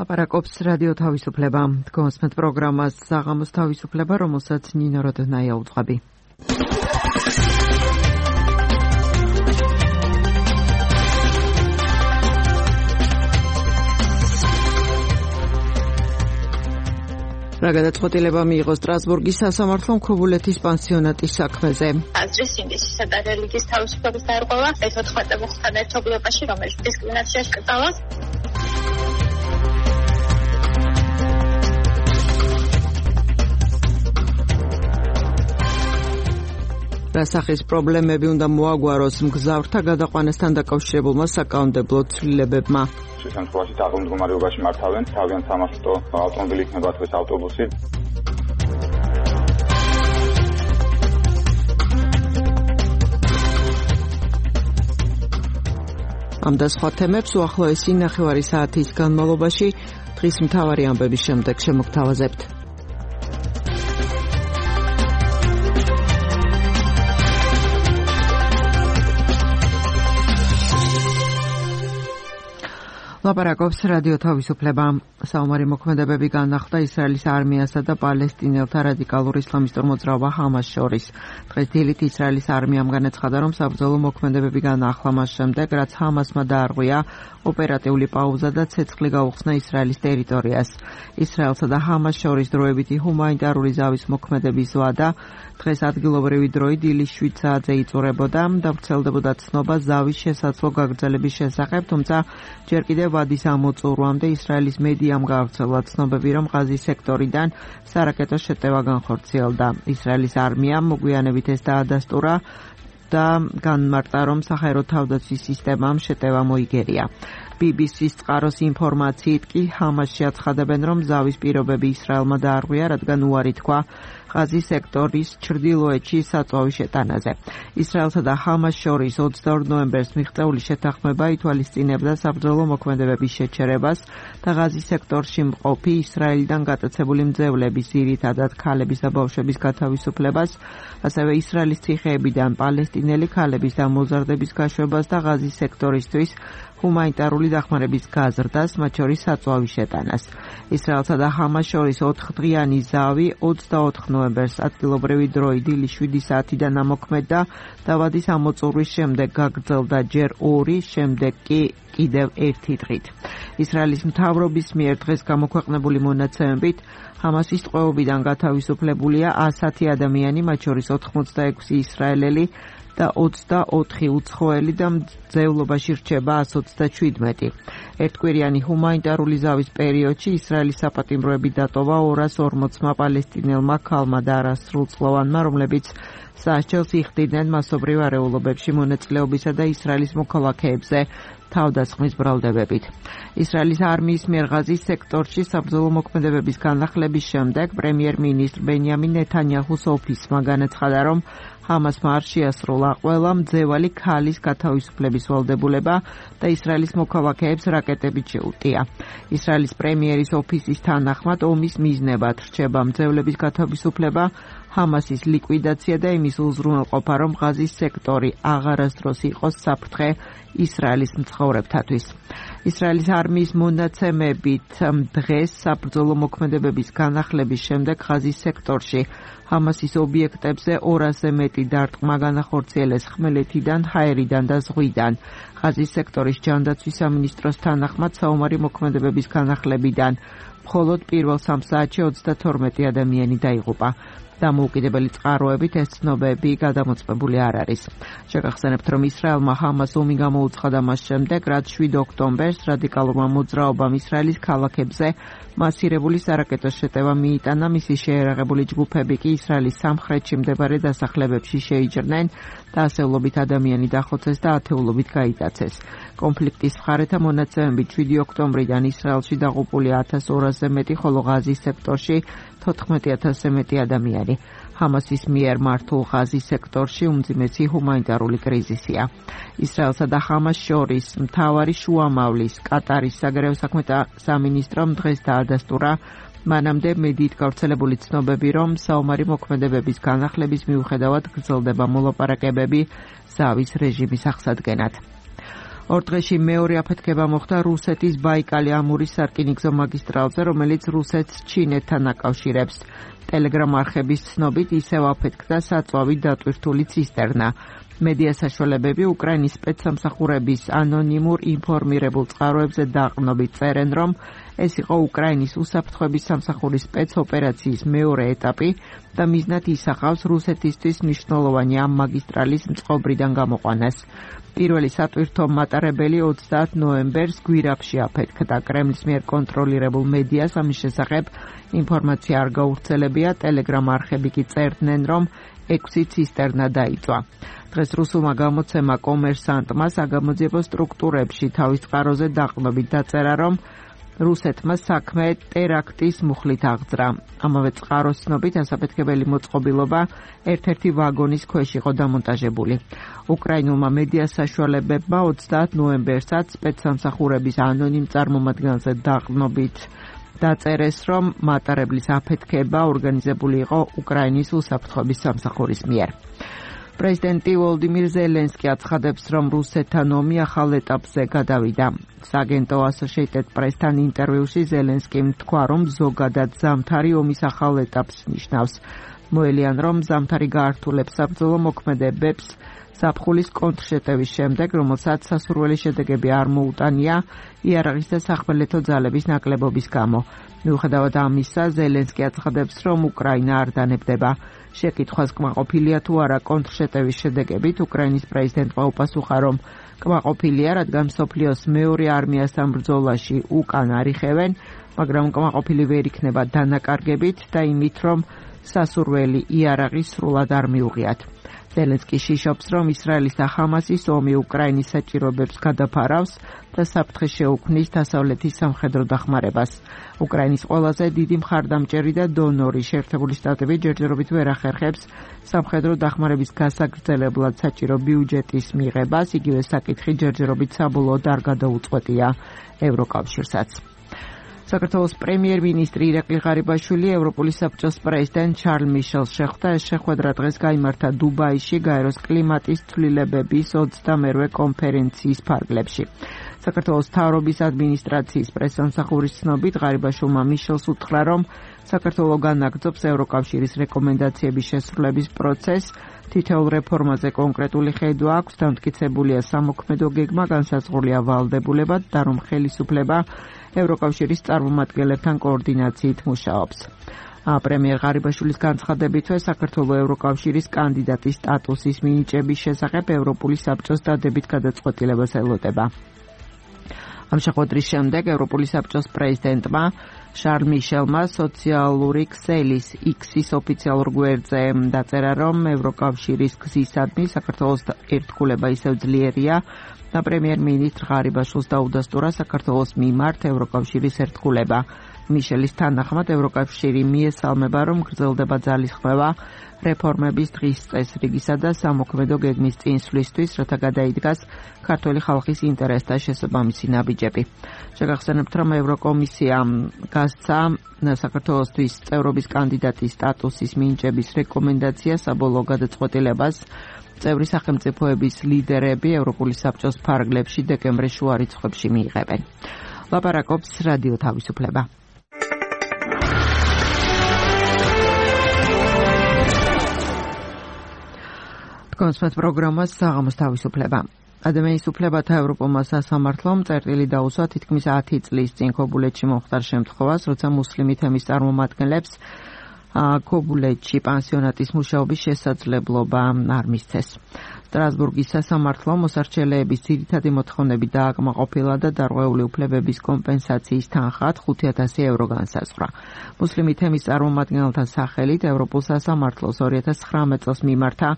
ლაპარაკობს რადიო თავისუფლება. გონსმეთ პროგრამას საღამოს თავისუფლება, რომელსაც ნინო როდნაია უძღვები. რა გადაწყვეტილება მიიღო სტრასბურგის სასამართლომ ქობულეთის პანსიონატის საქმეზე? აზრის ინდისისა და რელიგიის თავისუფლების დარღვევა ეს 14 მოხსნა ერთობლიობაში, რომელიც დისკრიმინაციას კრძალავს. რასახის პრობლემები უნდა მოაგვაროს მგზავრთა გადაყვანასთან დაკავშირებულმა საკანონმდებლო ცვლილებებმა? შემთხვევაში თაღლ მდგომარეობაში მართავენ, თავიანთ სამარშრუტო ავტომობილი იქნება დღეს ავტობუსი. ამ და სხვა თემებს უახლოესი 9 საათის განმავლობაში დღის მთავარი ამბების შემდეგ შემოგთავაზებთ. ლაპარაკობს რადიო თავისუფლება. საომარი მოქმედებები განახლდა ისრაელის არმიასა და პალესტინელთა რადიკალურ ისლამისტურ მოძრაობა ჰამას შორის. დღეს დილით ისრაელის არმიამ განაცხადა, რომ საბრძოლო მოქმედებები განაახლა მას შემდეგ, რაც ჰამასმა დაარღვია ოპერატიული პაუზა და ცეცხლი გაუხსნა ისრაელის ტერიტორიას. ისრაელსა და ჰამას შორის დროებითი ჰუმანიტარული ზავის მოქმედების ვადა დღეს ადგილობრივი დროით დილის 7 საათზე იწურებოდა და ვრცელდებოდა ცნობა ზავის შესაძლო გაგრძელების შესახებ, თუმცა ჯერ კიდევ ვადის ამოწურვამდე ისრაელის მედიამ გაავრცელა ცნობები, რომ ღაზის სექტორიდან სარაკეტო შეტევა განხორციელდა. ისრაელის არმიამ მოგვიანებით ეს დაადასტურა და განმარტა, რომ საჰაერო თავდაცვის სისტემამ შეტევა მოიგერია. BBC-ს წყაროს ინფორმაციით კი ჰამასში აცხადებენ, რომ ზავის პირობები ისრაელმა დაარღვია, რადგან უარი თქვა ღაზის სექტორის ჩრდილოეთში საწვავის შეტანაზე. ისრაელსა და ჰამას შორის 22 ნოემბერს მიღწეული შეთანხმება ითვალისწინებდა საბრძოლო მოქმედებების შეჩერებას და ღაზის სექტორში მყოფი ისრაელიდან გატაცებული მძევლების, ძირითადად ქალების და ბავშვების გათავისუფლებას, ასევე ისრაელის ციხეებიდან პალესტინელი ქალების და მოზარდების გაშვებას და ღაზის სექტორისთვის ჰუმანიტარული დახმარების გაზრდას, მათ შორის საწვავის შეტანას. ისრაელსა და ჰამას შორის 4 დღიანი ზავი 24 ნოემბერს ადგილობრივი დროით დილის 7 საათიდან ამოქმედდა და ვადის ამოწურვის შემდეგ გაგრძელდა ჯერ 2, შემდეგ კი კიდევ 1 დღით. ისრაელის მთავრობის მიერ დღეს გამოქვეყნებული მონაცემებით ჰამასის ტყვეობიდან გათავისუფლებულია 110 ადამიანი, მათ შორის 86 ისრაელელი და 24 უცხოელი და მძევლობაში რჩება 127. ერთკვირიანი ჰუმანიტარული ზავის პერიოდში ისრაელის საპატიმროები დატოვა 240-მა პალესტინელმა ქალმა და არასრულწლოვანმა, რომლებიც სასჯელს იხდიდნენ მასობრივ არეულობებში მონაწილეობისა და ისრაელის მოქალაქეებზე თავდასხმის ბრალდებებით. ისრაელის არმიის მიერ ღაზის სექტორში საბრძოლო მოქმედებების განახლების შემდეგ პრემიერ-მინისტრ ბენიამინ ნეთანიაჰუს ოფისმა განაცხადა, რომ ჰამასმა არ შეასრულა ყველა მძევალი ქალის გათავისუფლების ვალდებულება და ისრაელის მოქალაქეებს რაკეტებით შეუტია. ისრაელის პრემიერის ოფისის თანახმად ომის მიზნებად რჩება მძევლების გათავისუფლება, ჰამასის ლიკვიდაცია და იმის უზრუნველყოფა, რომ ღაზის სექტორი აღარასდროს იყოს საფრთხე ისრაელის მცხოვრებთათვის. ისრაელის არმიის მონაცემებით დღეს საბრძოლო მოქმედებების განახლების შემდეგ ღაზის სექტორში ჰამასის ობიექტებზე 200-ზე მეტი დარტყმა განახორციელეს ხმელეთიდან, ჰაერიდან და ზღვიდან. ღაზის სექტორის ჯანდაცვის სამინისტროს თანახმად საომარი მოქმედებების განახლებიდან მხოლოდ პირველ 3 საათში 32 ადამიანი დაიღუპა. დამოუკიდებელი წყაროებით ეს ცნობები გადამოწმებული არ არის. შეგახსენებთ, რომ ისრაელმა ჰამას ომი გამოუცხადა მას შემდეგ, რაც 7 ოქტომბერს რადიკალურმა მოძრაობამ ისრაელის ქალაქებზე მასირებული სარაკეტო შეტევა მიიტანა, მისი შეერაღებული ჯგუფები კი ისრაელის სამხრეთში მდებარე დასახლებებში შეიჭრნენ და ასეულობით ადამიანი დახოცეს და ათეულობით გაიტაცეს. კონფლიქტის მხარეთა მონაცემებით 7 ოქტომბრიდან ისრაელში დაღუპულია 1200-ზე მეტი, ხოლო ღაზის სექტორში 14,000-ზე მეტი ადამიანი. ჰამასის მიერ მართულ ღაზის სექტორში უმძიმესი ჰუმანიტარული კრიზისია. ისრაელსა და ჰამას შორის მთავარი შუამავლის კატარის საგარეო საქმეთა სამინისტრომ დღეს დაადასტურა მანამდე მედიით გავრცელებული ცნობები, რომ საომარი მოქმედებების განახლების მიუხედავად გრძელდება მოლაპარაკებები ზავის რეჟიმის აღსადგენად. ორ დღეში მეორე აფეთქება მოხდა რუსეთის ბაიკალი-ამურის სარკინიგზო მაგისტრალზე, რომელიც რუსეთს ჩინეთთან აკავშირებს. Telegram არხების ცნობით ისევ აფეთქდა საწვავი დატვირთული ცისტერნა. მედია საშუალებები უკრაინის სპეცსამსახურების ანონიმურ ინფორმირებულ წყაროებზე დაყრდნობით წერენ, რომ ეს იყო უკრაინის უსაფრთხოების სამსახურის სპეცოპერაციის მეორე ეტაპი და მიზნად ისახავს რუსეთისთვის მნიშვნელოვანი ამ მაგისტრალის მწყობრიდან გამოყვანას. პირველი სატვირთო მატარებელი 30 ნოემბერს გვირაბში აფეთქდა. კრემლის მიერ კონტროლირებულ მედიას ამის შესახებ ინფორმაცია არ გავრცელებია. Telegram არხები კი წერდნენ, რომ 6 ცისტერნა დაიწვა. დღეს რუსულმა გამოცემა კომერსანტმა საგამოძიებო სტრუქტურებში თავის წყაროზე დაყრდნობით დაწერა, რომ რუსეთმა საქმე ტერაქტის მუხლით აღძრა. ამავე წყაროს ცნობით ასაფეთქებელი მოწყობილობა ერთ-ერთი ვაგონის ქვეშ იყო დამონტაჟებული. უკრაინულმა მედია საშუალებებმა 30 ნოემბერსაც სპეცსამსახურების ანონიმ წარმომადგენელზე დაყრდნობით დაწერეს, რომ მატარებლის აფეთქება ორგანიზებული იყო უკრაინის უსაფრთხოების სამსახურის მიერ. პრეზიდენტი ვოლდიმირ ზელენსკი აცხადებს, რომ რუსეთთან ომი ახალ ეტაპზე გადავიდა. სააგენტო Associated Press-თან ინტერვიუში ზელენსკიმ თქვა, რომ ზოგადად ზამთარი ომის ახალ ეტაპს ნიშნავს. მოელიან, რომ ზამთარი გაართულებს საბრძოლო მოქმედებებს ზაფხულის კონტრშეტევის შემდეგ, რომელსაც სასურველი შედეგები არ მოუტანია იარაღის და სახმელეთო ძალების ნაკლებობის გამო. მიუხედავად ამისა, ზელენსკი აცხადებს, რომ უკრაინა არ დანებდება. შეკითხვას კმაყოფილია თუ არა კონტრშეტევის შედეგებით, უკრაინის პრეზიდენტმა უპასუხა, რომ კმაყოფილია, რადგან მსოფლიოს მეორე არმიასთან ბრძოლაში უკან არ იხევენ, მაგრამ კმაყოფილი ვერ იქნება დანაკარგებით და იმით, რომ სასურველი იარაღი სრულად არ მიუღიათ. ზელენსკი შიშობს, რომ ისრაელის და ხამასის ომი უკრაინის საჭიროებებს გადაფარავს და საფრთხე შეუქმნის დასავლეთის სამხედრო დახმარებას. უკრაინის ყველაზე დიდი მხარდამჭერი და დონორი შეერთებული შტატები ჯერჯერობით ვერ ახერხებს სამხედრო დახმარების გასაგრძელებლად საჭირო ბიუჯეტის მიღებას, იგივე საკითხი ჯერჯერობით საბოლოოდ არ გადაუწყვეტია ევროკავშირსაც. საქართველოს პრემიერ-მინისტრი ირაკლი ღარიბაშვილი ევროპული საბჭოს პრეზიდენტ ჩარლ მიშელს შეხვდა. ეს შეხვედრა დღეს გაიმართა დუბაიში გაეროს კლიმატის ცვლილებების 28-ვე კონფერენციის ფარგლებში. საქართველოს მთავრობის ადმინისტრაციის პრესსამსახურის ცნობით ღარიბაშვილმა მიშელს უთხრა, რომ საქართველო განაგრძობს ევროკავშირის რეკომენდაციების შესრულების პროცესს. თითოეულ რეფორმაზე კონკრეტული ხედვა აქვს, დამტკიცებულია სამოქმედო გეგმა, განსაზღვრულია ვალდებულება და რომ ხელისუფლება ევროკავშირის წარმომადგენლებთან კოორდინაციით მუშაობს. პრემიერ ღარიბაშვილის განცხადებითვე საქართველოს ევროკავშირის კანდიდატის სტატუსის მინიჭების შესახებ ევროპული საბჭოს დადებით გადაწყვეტილებას ელოდება. ამ შეხვედრის შემდეგ ევროპული საბჭოს პრეზიდენტმა შარლ მიშელმა სოციალური ქსელის X-ის ოფიციალურ გვერდზე დაწერა, რომ ევროკავშირის გზისადმი საქართველოს ერთგულება ისევ ძლიერია და პრემიერ-მინისტრ ღარიბაშვილს დაუდასტურა საქართველოს მიმართ ევროკავშირის ერთგულება. მიშელის თანახმად ევროკავშირი მიესალმება, რომ გრძელდება ძალისხმევა რეფორმების დღის წესრიგისა და სამოქმედო გეგმის წინსვლისთვის, რათა გადაიდგას ქართული ხალხის ინტერესთა შესაბამისი ნაბიჯები. შეგახსენებთ, რომ ევროკომისიამ გასცა საქართველოსთვის წევრობის კანდიდატის სტატუსის მინიჭების რეკომენდაცია საბოლოო გადაწყვეტილებას წევრი სახელმწიფოების ლიდერები ევროპული საბჭოს ფარგლებში დეკემბრის შუა რიცხვებში მიიღებენ. ლაპარაკობს რადიო თავისუფლება. კონსპეთ პროგრამას საღამოს თავისუფლება. ადამიანის უფლებათა ევროპულმა სასამართლომ წერტილი დაუსვა თითქმის 10 წლის წინ ქობულეთში მომხდარ შემთხვევას, როცა მუსლიმი თემის წარმომადგენლებს ქობულეთში პანსიონატის მუშაობის შესაძლებლობა არ მისცეს. სტრასბურგის სასამართლო მოსარჩელეების ძირითადი მოთხოვნები დააკმაყოფილა და დარღვეული უფლებების კომპენსაციის თანხად 5,000 евро განსაზღვრა. მუსლიმი თემის წარმომადგენელთა სახელით ევროპულ სასამართლოს 2019 წელს მიმართა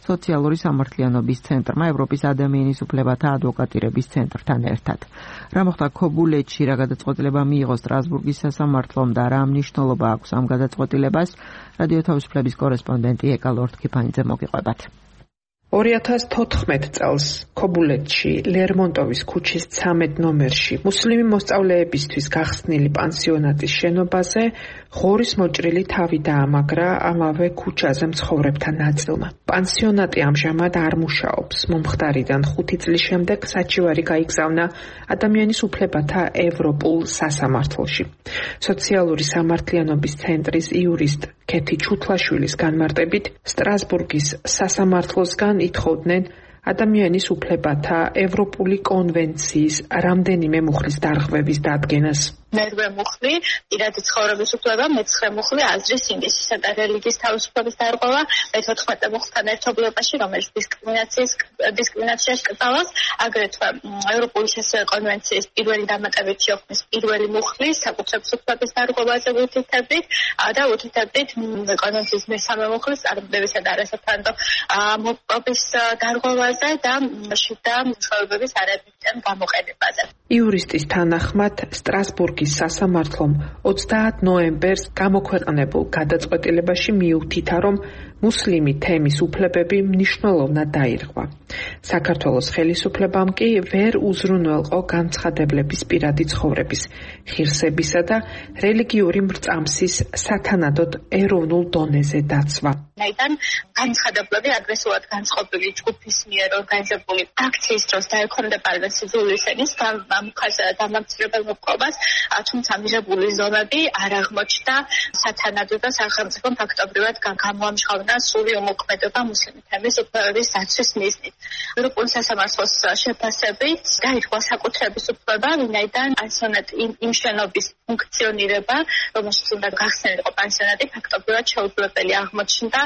სოციალური სამართლიანობის ცენტრმა ევროპის ადამიანის უფლებათა ადვოკატირების ცენტრთან ერთად. რა მოხდა ქობულეთში, რა გადაწყვეტილება მიიღო სტრასბურგის სასამართლომ და რა მნიშვნელობა აქვს ამ გადაწყვეტილებას, რადიო თავისუფლების კორესპონდენტი ეკა ლორდ-კიფანიძე მოგიყვებათ. 2014 წელს ქობულეთში ლერმონტოვის ქუჩის 13 ნომერში მუსლიმი მოსწავლეებისთვის გახსნილი პანსიონატის შენობაზე ღორის მოჭრილი თავი დაამაგრა ამავე ქუჩაზე მცხოვრებთან ნაწილმა. პანსიონატი ამჟამად არ მუშაობს. მომხდარიდან 5 წლის შემდეგ საჩივარი გაიგზავნა ადამიანის უფლებათა ევროპულ სასამართლოში. სოციალური სამართლიანობის ცენტრის იურისტ ქეთი ჩუთლაშვილის განმარტებით, სტრასბურგის სასამართლოსგან ითხოვდნენ ადამიანის უფლებათა ევროპული კონვენციის რამდენიმე მუხლის დარღვევის დადგენას. მერვე მუხლი პირადი ცხოვრების უფლება, მე-9 მუხლი აზრის, ინგლისისა და რელიგიის თავისუფლების დარღვევა, მე-14 მუხლთან ერთობლიობაში, რომელიც დისკრიმინაციას კრძალავს, აგრეთვე ევროპული კონვენციის პირველი დამატებითი ოქმის პირველი მუხლი საკუთრების უფლების დარღვევაზე უთითებით და უთითებით კონვენციის მესამე მუხლის წარმატებისა და არასაფრთხო მოპყრობის დარღვევაზე და შიდა მსხვერპლების არაეფექტიან გამოყენებაზე. იურისტის თანახმად სტრასბურგის სასამართლომ 30 ნოემბერს გამოქვეყნებულ გადაწყვეტილებაში მიუთითა, რომ მუსლიმი თემის უფლებები მნიშვნელოვნად დაირღვა. საქართველოს ხელისუფლებამ კი ვერ უზრუნველყო განცხადებლების პირადი ცხოვრების, ღირსებისა და რელიგიური მრწამსის სათანადოდ ეროვნულ დონეზე დაცვა. Ნაიდან განცხადებლები აგრესიულად განწყობილი ჯგუფის მიერ ორგანიზებული აქციის დროს დაექვემდებარებენ სიძულვის ენის დამამცირებელ მოპყრობას, თუმცა მიღებული ზომები არ აღმოჩნდა სათანადო და სახელმწიფომ ფაქტობრივად გამოამჟღავნა სრული უმოქმედობა მუსლიმი თემის უფლებების დაცვის მიზნით. ევროპული სასამართლოს შეფასებით დაირღვა საკუთრების უფლება, ვინაიდან პანსიონატი იმ შენობის ფუნქციონირება, რომელშიც უნდა გახსნილიყო პანსიონატი, ფაქტობრივად შეუძლებელი აღმოჩნდა,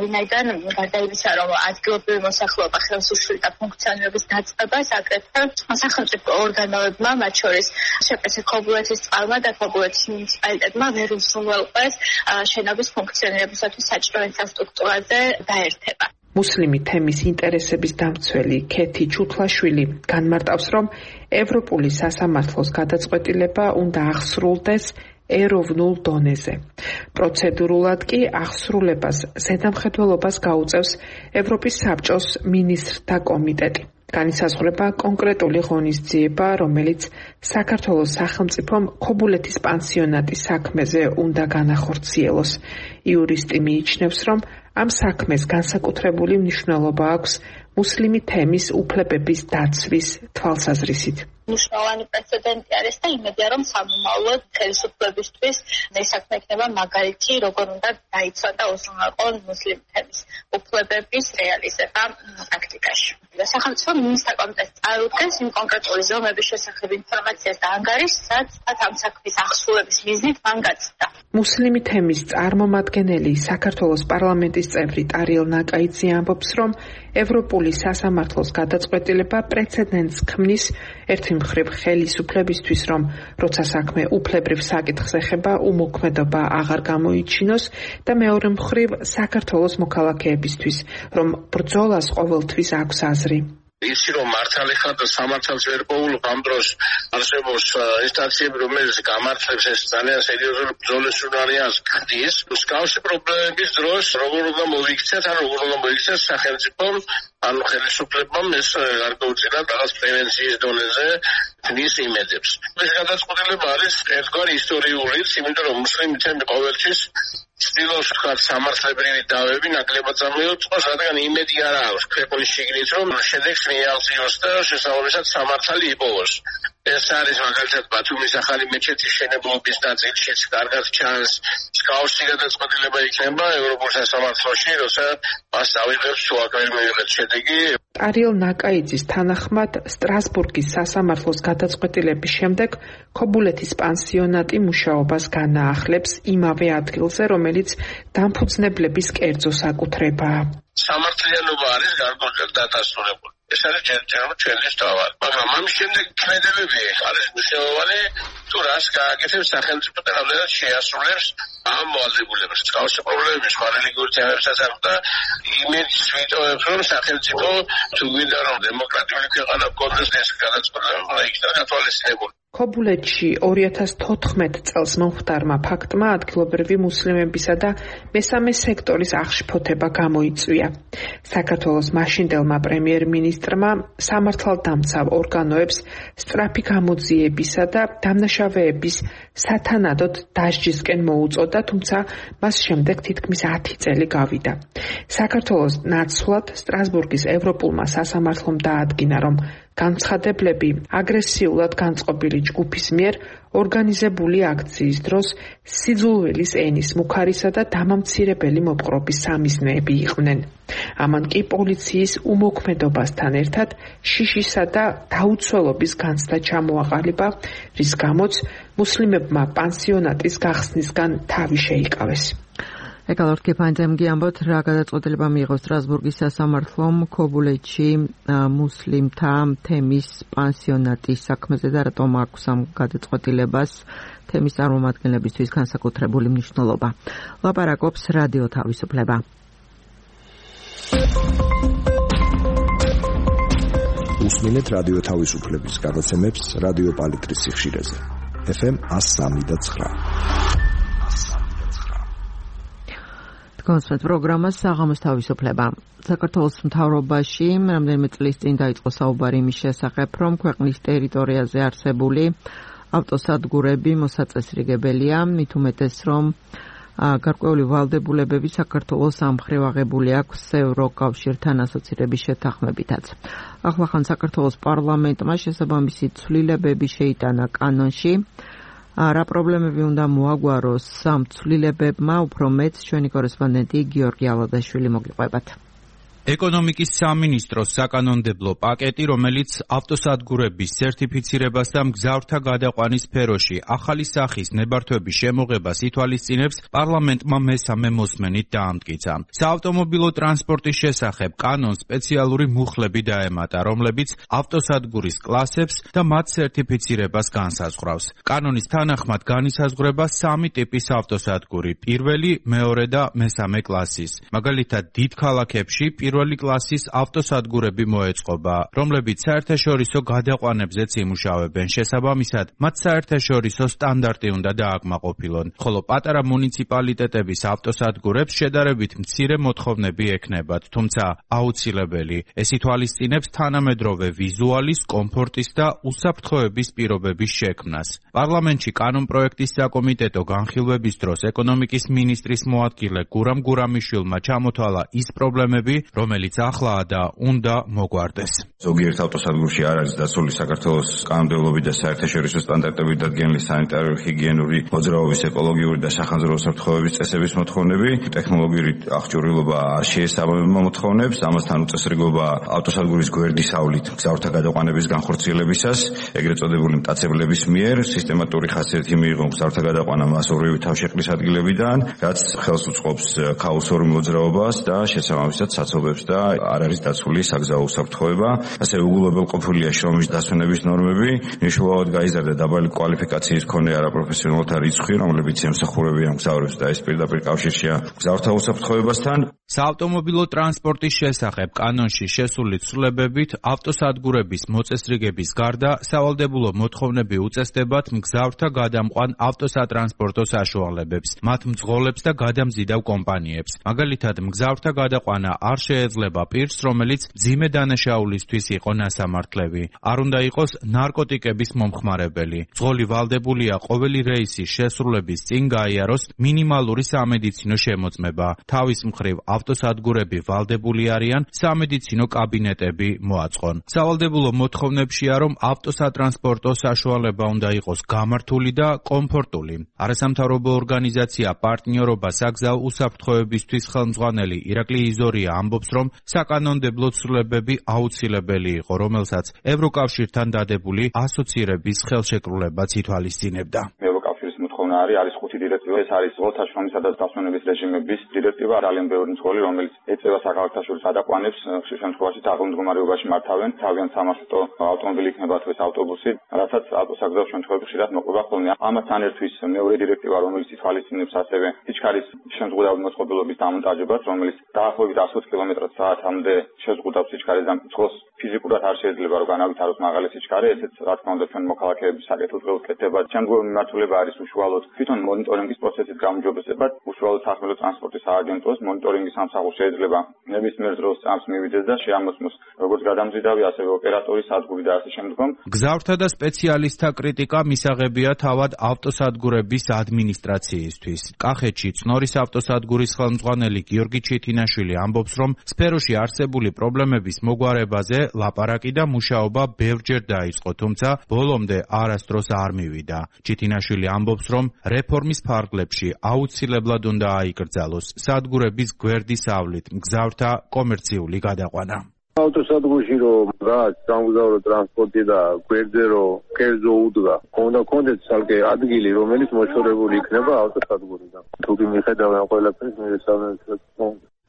ვინაიდან გარდა იმისა, რომ ადგილობრივი მოსახლეობა ხელს უშლიდა ფუნქციონირების დაწყებას, აგრეთვე სახელმწიფო ორგანოებმა, მათ შორის შპს ქობულეთის წყალმა და ქობულეთის მუნიციპალიტეტმა ვერ უზრუნველყვეს შენობის ფუნქციონირებისათვის საჭირო ინფრასტრუქტურაზე დაერთება. მუსლიმი თემის ინტერესების დამცველი ქეთი ჩუთლაშვილი განმარტავს, რომ ევროპული სასამართლოს გადაწყვეტილება უნდა აღსრულდეს ეროვნულ დონეზე. პროცედურულად კი აღსრულებას ზედამხედველობას გაუწევს ევროპის საბჭოს მინისტრთა კომიტეტი. განისაზღვრება კონკრეტული ღონისძიება, რომელიც საქართველოს სახელმწიფომ ქობულეთის პანსიონატის საქმეზე უნდა განახორციელოს. იურისტი მიიჩნევს, რომ ამ საქმეს განსაკუთრებული მნიშვნელობა აქვს მუსლიმი თემის უფლებების დაცვის თვალსაზრისით. მნიშვნელოვანი პრეცედენტი არის და იმედია, რომ სამომავლოდ ხელისუფლებისთვის ეს საქმე იქნება მაგალითი, როგორ უნდა დაიცვა და უზრუნველყო მუსლიმი თემის უფლებების რეალიზება პრაქტიკაში. სახელმწიფო მინისტრთა კომიტეტს წარუდგენს იმ კონკრეტული ზომების შესახებ ინფორმაციას და ანგარიშს, რაც ამ საქმის აღსრულების მიზნით მან გაცდა. მუსლიმი თემის წარმომადგენელი საქართველოს პარლამენტის წევრი ტარიელ ნაკაიძე ამბობს, რომ ევროპული სასამართლოს გადაწყვეტილება პრეცედენტს ქმნის ერთი მხრივ ხელისუფლებისთვის, რომ როცა საქმე უფლებრივ საკითხს ეხება, უმოქმედობა აღარ გამოიჩინოს და მეორე მხრივ საქართველოს მოქალაქეებისთვის, რომ ბრძოლას ყოველთვის აქვს აზრი. ისი რომ მართალი ხარ და სამართალს ვერ პოულობ ამ დროს არსებობს ინსტანციები, რომელიც გამართლებს ეს ძალიან სერიოზული ბრძოლის უნარიანს ხდის. მსგავსი პრობლემების დროს როგორ უნდა მოიქცეთ, ან როგორ უნდა მოიქცეთ სახელმწიფომ, ანუ ხელისუფლებამ ეს გარკვეულწილად რაღაც პრევენციის დონეზე თნის იმედებს. ეს გადაწყვეტილება არის ერთგვარი ისტორიულიც, იმიტომ რომ მუსლიმი თემი ყოველთვის ცდილობს ვთქვათ სამართლებრივი დავები ნაკლებად წამოიწყოს, რადგან იმედი არ აქვს ქვეყნის შიგნით, რომ შედეგს მიაღწიოს და შესაბამისად სამართალი იპოვოს. ეს არის მაგალითად ბათუმის ახალი მეჩეთის შენებლობის ნაწილშიც კარგად ჩანს. მსგავსი გადაწყვეტილება იქნება ევროპულ სასამართლოში, როცა მას ავიღებს თუ აქ ვერ მივიღეთ შედეგი. ტარიელ ნაკაიძის თანახმად სტრასბურგის სასამართლოს გადაწყვეტილების შემდეგ ქობულეთის პანსიონატი მუშაობას განაახლებს იმავე ადგილზე, რომელიც დამფუძნებლების კერძო საკუთრებაა. სამართლიანობა არის გარკვეულად დადასტურებული. ეს არის ჯერჯერობით ჩვენთვის თავად. მაგრამ ამის შემდეგ ქმედებები არის მნიშვნელოვანი, თუ რას გააკეთებს სახელმწიფო და რამდენად შეასრულებს ამ მოვალდებულებას. მსგავსი პრობლემები სხვა რელიგიურ თემებსაც აქვს და იმედს ვიტოვებ, რომ სახელმწიფო თუ გვინდა რომ დემოკრატიული ქვეყანა გქონდეს ეს გადაწყვეტილება იქნება გათვალისწინებული. ქობულეთში 2014 წელს მომხდარმა ფაქტმა ადგილობრივი მუსლიმებისა და მესამე სექტორის აღშფოთება გამოიწვია. საქართველოს მაშინდელმა პრემიერ-მინისტრმა სამართალდამცავ ორგანოებს სწრაფი გამოძიებისა და დამნაშავეების სათანადოდ დასჯისკენ მოუწოდა, თუმცა მას შემდეგ თითქმის 10 წელი გავიდა. საქართველოს ნაცვლად სტრასბურგის ევროპულმა სასამართლომ დაადგინა, რომ განცხადებლები აგრესიულად განწყობილი ჯგუფის მიერ ორგანიზებული აქციის დროს სიძულვილის ენის მუქარისა და დამამცირებელი მოპყრობის სამიზნეები იყვნენ. ამან კი პოლიციის უმოქმედობასთან ერთად შიშისა და დაუცველობის განცდა ჩამოაყალიბა, რის გამოც მუსლიმებმა პანსიონატის გახსნისგან თავი შეიკავეს. ეკალორ კეფანძემგი ამბობთ, რა გადაწყვეტილება მიიღო სტრასბურგის სასამართლომ ქობულეთში მუსლიმთა თემის პანსიონატის საქმეზე და რატომ აქვს ამ გადაწყვეტილებას თემის წარმომადგენლებისთვის განსაკუთრებული მნიშვნელობა. ლაპარაკობს რადიო თავისუფლება. უსმინეთ რადიო თავისუფლების გადაცემებს რადიო პალიტრის სიხშირეზე. FM 103.9. კონსერტ პროგრამა საღამოს თავისუფლება. საქართველოს მთავრობაში რამდენიმე წლის წინ დაიწყო საუბარი იმის შესახებ, რომ ქვეყნის ტერიტორიაზე არსებული ავტოსადგურები მოსაწესრიგებელია, მით უმეტეს, რომ გარკვეული ვალდებულებები საქართველოს ამ მხრივ აღებული აქვს ევროკავშირთან ასოცირების შეთანხმებითაც. ახლახან საქართველოს პარლამენტმა შესაბამისი ცვლილებები შეიტანა კანონში. რა პრობლემები უნდა მოაგვაროს ამ ცვლილებებმა, უფრო მეც ჩვენი კორესპონდენტი გიორგი ალადაშვილი მოგიყვებათ. ეკონომიკის სამინისტროს საკანონმდებლო პაკეტი, რომელიც ავტოსადგურების სერტიფიცირებას და მგზავრთა გადაყვანის სფეროში ახალი სახის ნებართვების შემოღებას ითვალისწინებს, პარლამენტმა მესამე მოსმენით დაამტკიცა. საავტომობილო ტრანსპორტის შესახებ კანონს სპეციალური მუხლები დაემატა, რომლებიც ავტოსადგურის კლასებს და მათ სერტიფიცირებას განსაზღვრავს. კანონის თანახმად განისაზღვრება 3 ტიპის ავტოსადგური: პირველი, მეორე და მესამე კლასის. მაგალითად, დიდ ქალაქებში პირველი კლასის ავტოსადგურები მოეწყობა, რომლებიც საერთაშორისო გადაყვანებზეც იმუშავებენ. შესაბამისად, მათ საერთაშორისო სტანდარტი უნდა დააკმაყოფილონ, ხოლო პატარა მუნიციპალიტეტების ავტოსადგურებს შედარებით მცირე მოთხოვნები ექნებათ, თუმცა აუცილებელი. ეს ითვალისწინებს თანამედროვე ვიზუალის, კომფორტის და უსაფრთხოების პირობების შექმნას. პარლამენტში კანონპროექტის საკომიტეტო განხილვების დროს ეკონომიკის მინისტრის მოადგილე გურამ გურამიშვილმა ჩამოთვალა ის პრობლემები, რომელიც ახლაა და უნდა მოგვარდეს. ზოგიერთ ავტოსადგურში არ არის დაცული საქართველოს კანონმდებლობით და საერთაშორისო სტანდარტებით დადგენილი სანიტარო-ჰიგიენური მოძრაობის, ეკოლოგიური და სახანძრო უსაფრთხოების წესების მოთხოვნები, ტექნოლოგიური აღჭურვილობა არ შეესაბამება მოთხოვნებს, ამასთან უწესრიგობა ავტოსადგურის გვერდისავლით მგზავრთა გადაყვანების განხორციელებისას, ეგრეთ წოდებული მტაცებლების მიერ სისტემატური ხასიათი მიიღო მგზავრთა გადაყვანა მასობრივი თავშეყრის ადგილებიდან, რაც ხელს უწყობს ქაოსურ მოძრაობას და შესაბამისად საცობებს და არ არის დაცული საგზაო უსაფრთხოება. ასევე უგულებელყოფილია შრომის დასვენების ნორმები, მნიშვნელოვნად გაიზარდა დაბალი კვალიფიკაციის მქონე არაპროფესიონალთა რიცხვი, რომლებიც ემსახურებიან მგზავრებს და ეს პირდაპირ კავშირშია მგზავრთა უსაფრთხოებასთან. საავტომობილო ტრანსპორტის შესახებ კანონში შესული ცვლილებებით ავტოსადგურების მოწესრიგების გარდა სავალდებულო მოთხოვნები უწესდებათ მგზავრთა გადამყვან ავტოსატრანსპორტო საშუალებებს, მათ მძღოლებს და გადამზიდავ კომპანიებს. მაგალითად, მგზავრთა გადაყვანა არ შეეძლება პირს, რომელიც მძიმე დანაშაულისთვის იყო ნასამართლები. არ უნდა იყოს ნარკოტიკების მომხმარებელი. მძღოლი ვალდებულია ყოველი რეისის შესრულების წინ გაიაროს მინიმალური სამედიცინო შემოწმება. თავის მხრივ ავტოსადგურები ვალდებული არიან სამედიცინო კაბინეტები მოაწყონ. სავალდებულო მოთხოვნებშია, რომ ავტოსატრანსპორტო საშუალება უნდა იყოს გამართული და კომფორტული. არასამთავრობო ორგანიზაცია პარტნიორობა საგზაო უსაფრთხოებისთვის ხელმძღვანელი ირაკლი იზორია ამბობს, რომ საკანონმდებლო ცვლილებები აუცილებელი იყო, რომელსაც ევროკავშირთან დადებული ასოცირების ხელშეკრულებაც ითვალისწინებდა. მოთხოვნა არის 5 დირექტივა. ეს არის ძღოლთა შრომისა და დასვენების რეჟიმების დირექტივა, ძალიან ბევრი მძღოლი, რომელიც ეწევა საქალაქთა გადაყვანებს, ხშირ შემთხვევაში დაღლილ მდგომარეობაში მართავენ, თავიანთ სამარშრუტო ავტომობილი იქნება თუ ეს ავტობუსი, რასაც ავტოსაგზაო შემთხვევებში ხშირად მოყვება ხოლმე. ამასთან ერთვის მეორე დირექტივა, რომელიც ითვალისწინებს ასევე სიჩქარის შეზღუდავი მოწყობილობის დამონტაჟებას, რომელიც დაახლოებით 120 კმ/სთ-მდე შეზღუდავს სიჩქარის და მძღოლს ფიზიკურად არ შეიძლება რომ განავითაროს მაღალი სიჩქარე, ესეც რა თქმა უნდა ჩვენ მოქალაქეების საკეთილდღეო კეთება. შემდგომი მიმართულება არის უშუალოდ თვითონ მონიტორინგის პროცესის გაუმჯობესება, უშუალოდ სახმელეთო ტრანსპორტის სააგენტოს მონიტორინგის სამსახური შეიძლება ნებისმიერ დროს წამს მივიდეს და შეამოწმოს როგორც გადამზიდავი, ასევე ოპერატორის სადგური და ასე შემდგომ. გზავრთა და სპეციალისტთა კრიტიკა მისაღებია თავად ავტოსადგურების ადმინისტრაციისთვის. კახეთში წნორის ავტოსადგურის ხელმძღვანელი გიორგი ჩიტინაშვილი ამბობს, რომ სფეროში არსებული პრობლემების მოგვარებაზე ლაპარაკი და მუშაობა ბევრჯერ დაიწყო, თუმცა ბოლომდე არასდროს არ მივიდა. ჩიტინაშვილი ამბობს, რომ რეფორმის ფარგლებში აუცილებლად უნდა აიკრძალოს სადგურების გვერდის ავლით მგზავრთა კომერციული გადაყვანა. ავტოსადგურში რომ რაც სამგზავრო ტრანსპორტი და გვერდზე რომ კერძო უდგა, უნდა კონდეთ ცალკე ადგილი, რომელიც მოშორებული იქნება ავტოსადგურიდან. თუ კი მიხედავენ ყველაფერს მერესალმე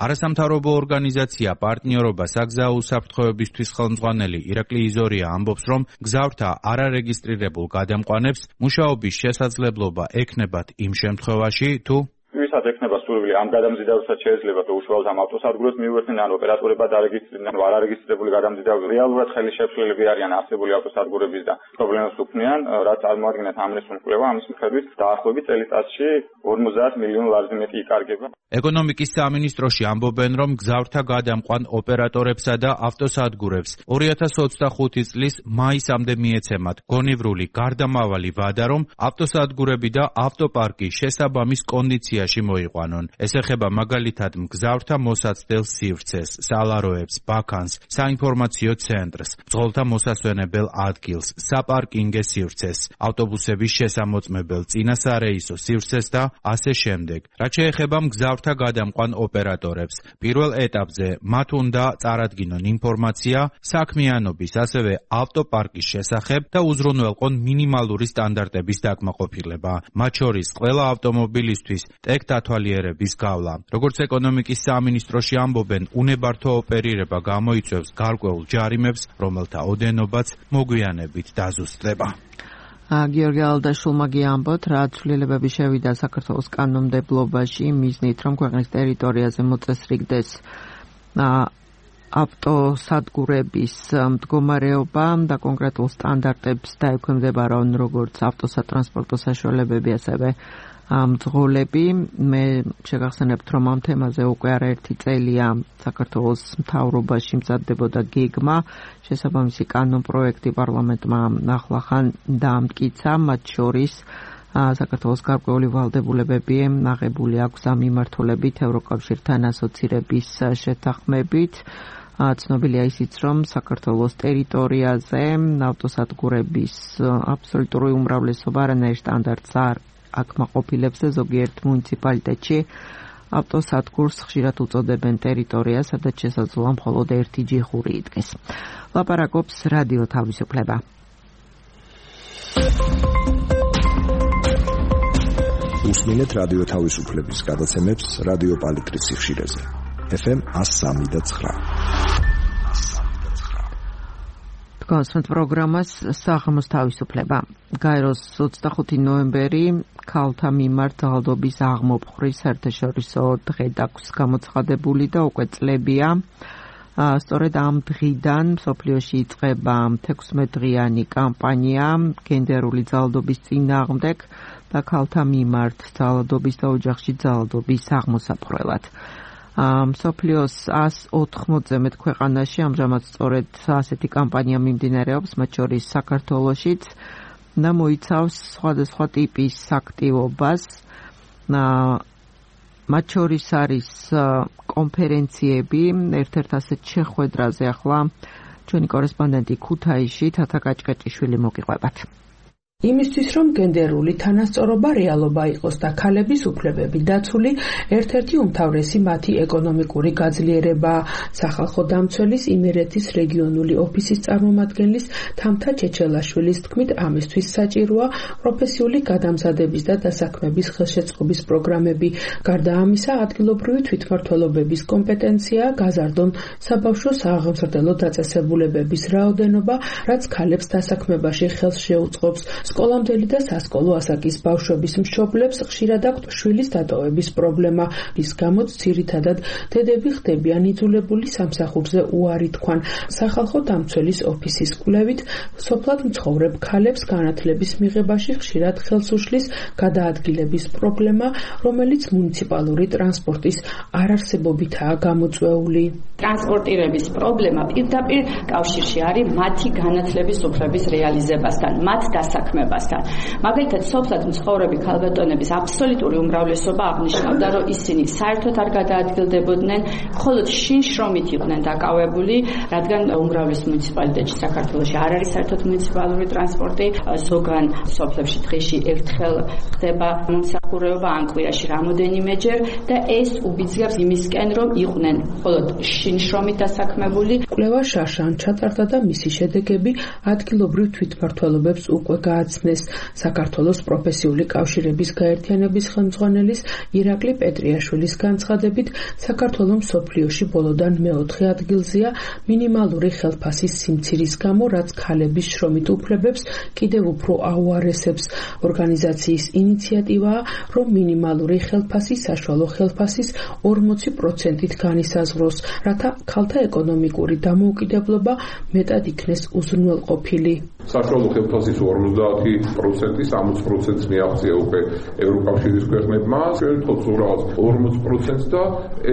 არასამთავრობო ორგანიზაცია პარტნიორობა საგზაო უსაფრთხოებისთვის ხელმძღვანელი ირაკლი იზორია ამბობს, რომ გზავრთა არარეგისტრირებულ გადამყვანებს მუშაობის შესაძლებლობა ექნებათ იმ შემთხვევაში, თუ ვისაც ექნება სურვილი ამ გადამზიდავებსაც შეიძლება თუ უშუალოდ ამ ავტოსადგურს მიუერთდნენ, ან ოპერატორებად არეგისტრირდნენ, ან არარეგისტრირებული გადამზიდავები რეალურად ხელი შეშლილები არიან არსებული ავტოსადგურების და პრობლემას უქმნიან, რაც წარმოადგენს ამ რესურსის კვლევა, ამის მიხედვით დაახლოებით წელიწადში 50 მილიონ ლარზე მეტი იკარგება. ეკონომიკის სამინისტროში ამბობენ, რომ გზავრთა გადამყვან ოპერატორებსა და ავტოსადგურებს 2025 წლის მაისამდე მიეცემათ გონივრული გარდამავალი ვადა, რომ ავტოსადგურები და ავტოპარკი შესაბამის კონდიციაში მოიყვანონ. ეს ეხება მაგალითად მგზავრთა მოსაცდელ სივრცეს, სალაროებს, ბაქანს, საინფორმაციო ცენტრს, მძღოლთა მოსასვენებელ ადგილს, საპარკინგე სივრცეს, ავტობუსების შესამოწმებელ წინასარეისო სივრცეს და ასე შემდეგ. რაც შეეხება მგზავრთა გადამყვან ოპერატორებს, პირველ ეტაპზე მათ უნდა წარადგინონ ინფორმაცია საქმიანობის, ასევე ავტოპარკის შესახებ და უზრუნველყონ მინიმალური სტანდარტების დაკმაყოფილება. მათ შორის ყველა ავტომობილისთვის ტექ დათვალიერების გავლა. როგორც ეკონომიკის სამინისტროში ამბობენ, უნებართო ოპერირება გამოიწვევს გარკვეულ ჯარიმებს, რომელთა ოდენობაც მოგვიანებით დაზუსტდება. გიორგი ალდაშულმა გიამბოთ, რა ცვლილებები შევიდა საქართველოს კანონმდებლობაში მიზნით, რომ ქვეყნის ტერიტორიაზე მოწესრიგდეს ავტოსადგურების მდგომარეობა და კონკრეტულ სტანდარტებს დაექვემდებარონ როგორც ავტოსატრანსპორტო საშუალებები, ასევე მძღოლები. მე შეგახსენებთ, რომ ამ თემაზე უკვე არაერთი წელია საქართველოს მთავრობაში მზადდებოდა გეგმა, შესაბამისი კანონპროექტი პარლამენტმა ახლახან დაამტკიცა, მათ შორის საქართველოს გარკვეული ვალდებულებები აღებული აქვს ამ მიმართულებით ევროკავშირთან ასოცირების შეთანხმებით. ცნობილია ისიც, რომ საქართველოს ტერიტორიაზე ავტოსადგურების აბსოლუტური უმრავლესობა არანაირ სტანდარტს არ აკმაყოფილებს, ზოგიერთ მუნიციპალიტეტში ავტოსადგურს ხშირად უწოდებენ ტერიტორიას, სადაც შესაძლოა მხოლოდ ერთი ჯიხური იდგეს. ლაპარაკობს რადიო თავისუფლება. უსმინეთ რადიო თავისუფლების გადაცემებს რადიო პალიტრის სიხშირეზე. FM 103.9. კონსტანტ პროგრამას საღამოს თავისუფლება. გაეროს 25 ნოემბერი ქალთა მიმართ ძალადობის აღმოფხვრის საერთაშორისო დღე აქვს გამოცხადებული და უკვე წლებია. სწორედ ამ დღიდან მსოფლიოში იწყება 16 დღიანი კამპანია გენდერული ძალადობის წინააღმდეგ და ქალთა მიმართ ძალადობის და ოჯახში ძალადობის აღმოსაფხვრელად. მსოფლიოს 180-ზე მეტ ქვეყანაში ამჟამად სწორედ ასეთი კამპანია მიმდინარეობს, მათ შორის საქართველოშიც და მოიცავს სხვადასხვა ტიპის აქტივობას. მათ შორის არის კონფერენციები, ერთ-ერთ ასეთ შეხვედრაზე ახლა ჩვენი კორესპონდენტი ქუთაისში თათა კაჭკაჭიშვილი მოგიყვებათ. იმისთვის რომ გენდერული თანასწორობა რეალობა იყოს და ქალების უფლებები დაცული, ერთ-ერთი უმთავრესი მათი ეკონომიკური გაძლიერებაა. სახალხო დამცველის იმერეთის რეგიონული ოფისის წარმომადგენლის თამთა ჩეჩელაშვილის თქმით, ამისთვის საჭიროა პროფესიული გადამზადების და დასაქმების ხელშეწყობის პროგრამები. გარდა ამისა, ადგილობრივი თვითმმართველობების კომპეტენციაა გაზარდონ საბავშვო სააღმზრდელო დაწესებულებების რაოდენობა, რაც ქალებს დასაქმებაში ხელს შეუწყობს. სკოლამდელი და სასკოლო ასაკის ბავშვების მშობლებს ხშირად აქვთ შვილის დატოვების პრობლემა, რის გამოც ძირითადად დედები ხდებიან იძულებული სამსახურზე უარი თქვან. სახალხო დამცველის ოფისის კვლევით, სოფლად მცხოვრებ ქალებს განათლების მიღებაში ხშირად ხელს უშლის გადაადგილების პრობლემა, რომელიც მუნიციპალური ტრანსპორტის არარსებობითაა გამოწვეული. ტრანსპორტირების პრობლემა პირდაპირ კავშირში არის მათი განათლების უფლების რეალიზებასთან, მათ დასაქმებასთან. მაგალითად, სოფლად მცხოვრები ქალბატონების აბსოლუტური უმრავლესობა აღნიშნავდა, რომ ისინი საერთოდ არ გადაადგილდებოდნენ, მხოლოდ შინ-შრომით იყვნენ დაკავებული, რადგან უმრავლეს მუნიციპალიტეტში საქართველოში არ არის საერთოდ მუნიციპალური ტრანსპორტი, ზოგან სოფლებში დღეში ერთხელ ხდება მომსახურება, ან კვირაში რამოდენიმეჯერ და ეს უბიძგებს იმისკენ, რომ იყვნენ მხოლოდ შინ-შრომით დასაქმებული. კვლევა შაშან ჩატარდა და მისი შედეგები ადგილობრივ თვითმმართველობებს უკვე გააცნეს. საქართველოს პროფესიული კავშირების გაერთიანების ხელმძღვანელის ირაკლი პეტრიაშვილის განცხადებით, საქართველოს მსოფლიოში ბოლოდან მეოთხე ადგილზეა მინიმალური ხელფასის სიმცირის გამო, რაც ქალების შრომით უფლებებს კიდევ უფრო აუარესებს. ორგანიზაციის ინიციატივაა, რომ მინიმალური ხელფასი საშუალო ხელფასის 40%-ით განისაზღვროს, რათა ქალთა ეკონომიკური დამოუკიდებლობა მეტად იქნეს უზრუნველყოფილი. საშუალო ხელფასის 50%, 60%-ს მიაღწია უკვე ევროკავშირის ქვეყნებმა, ჩვენ ვთქვათ რაღაც 40% და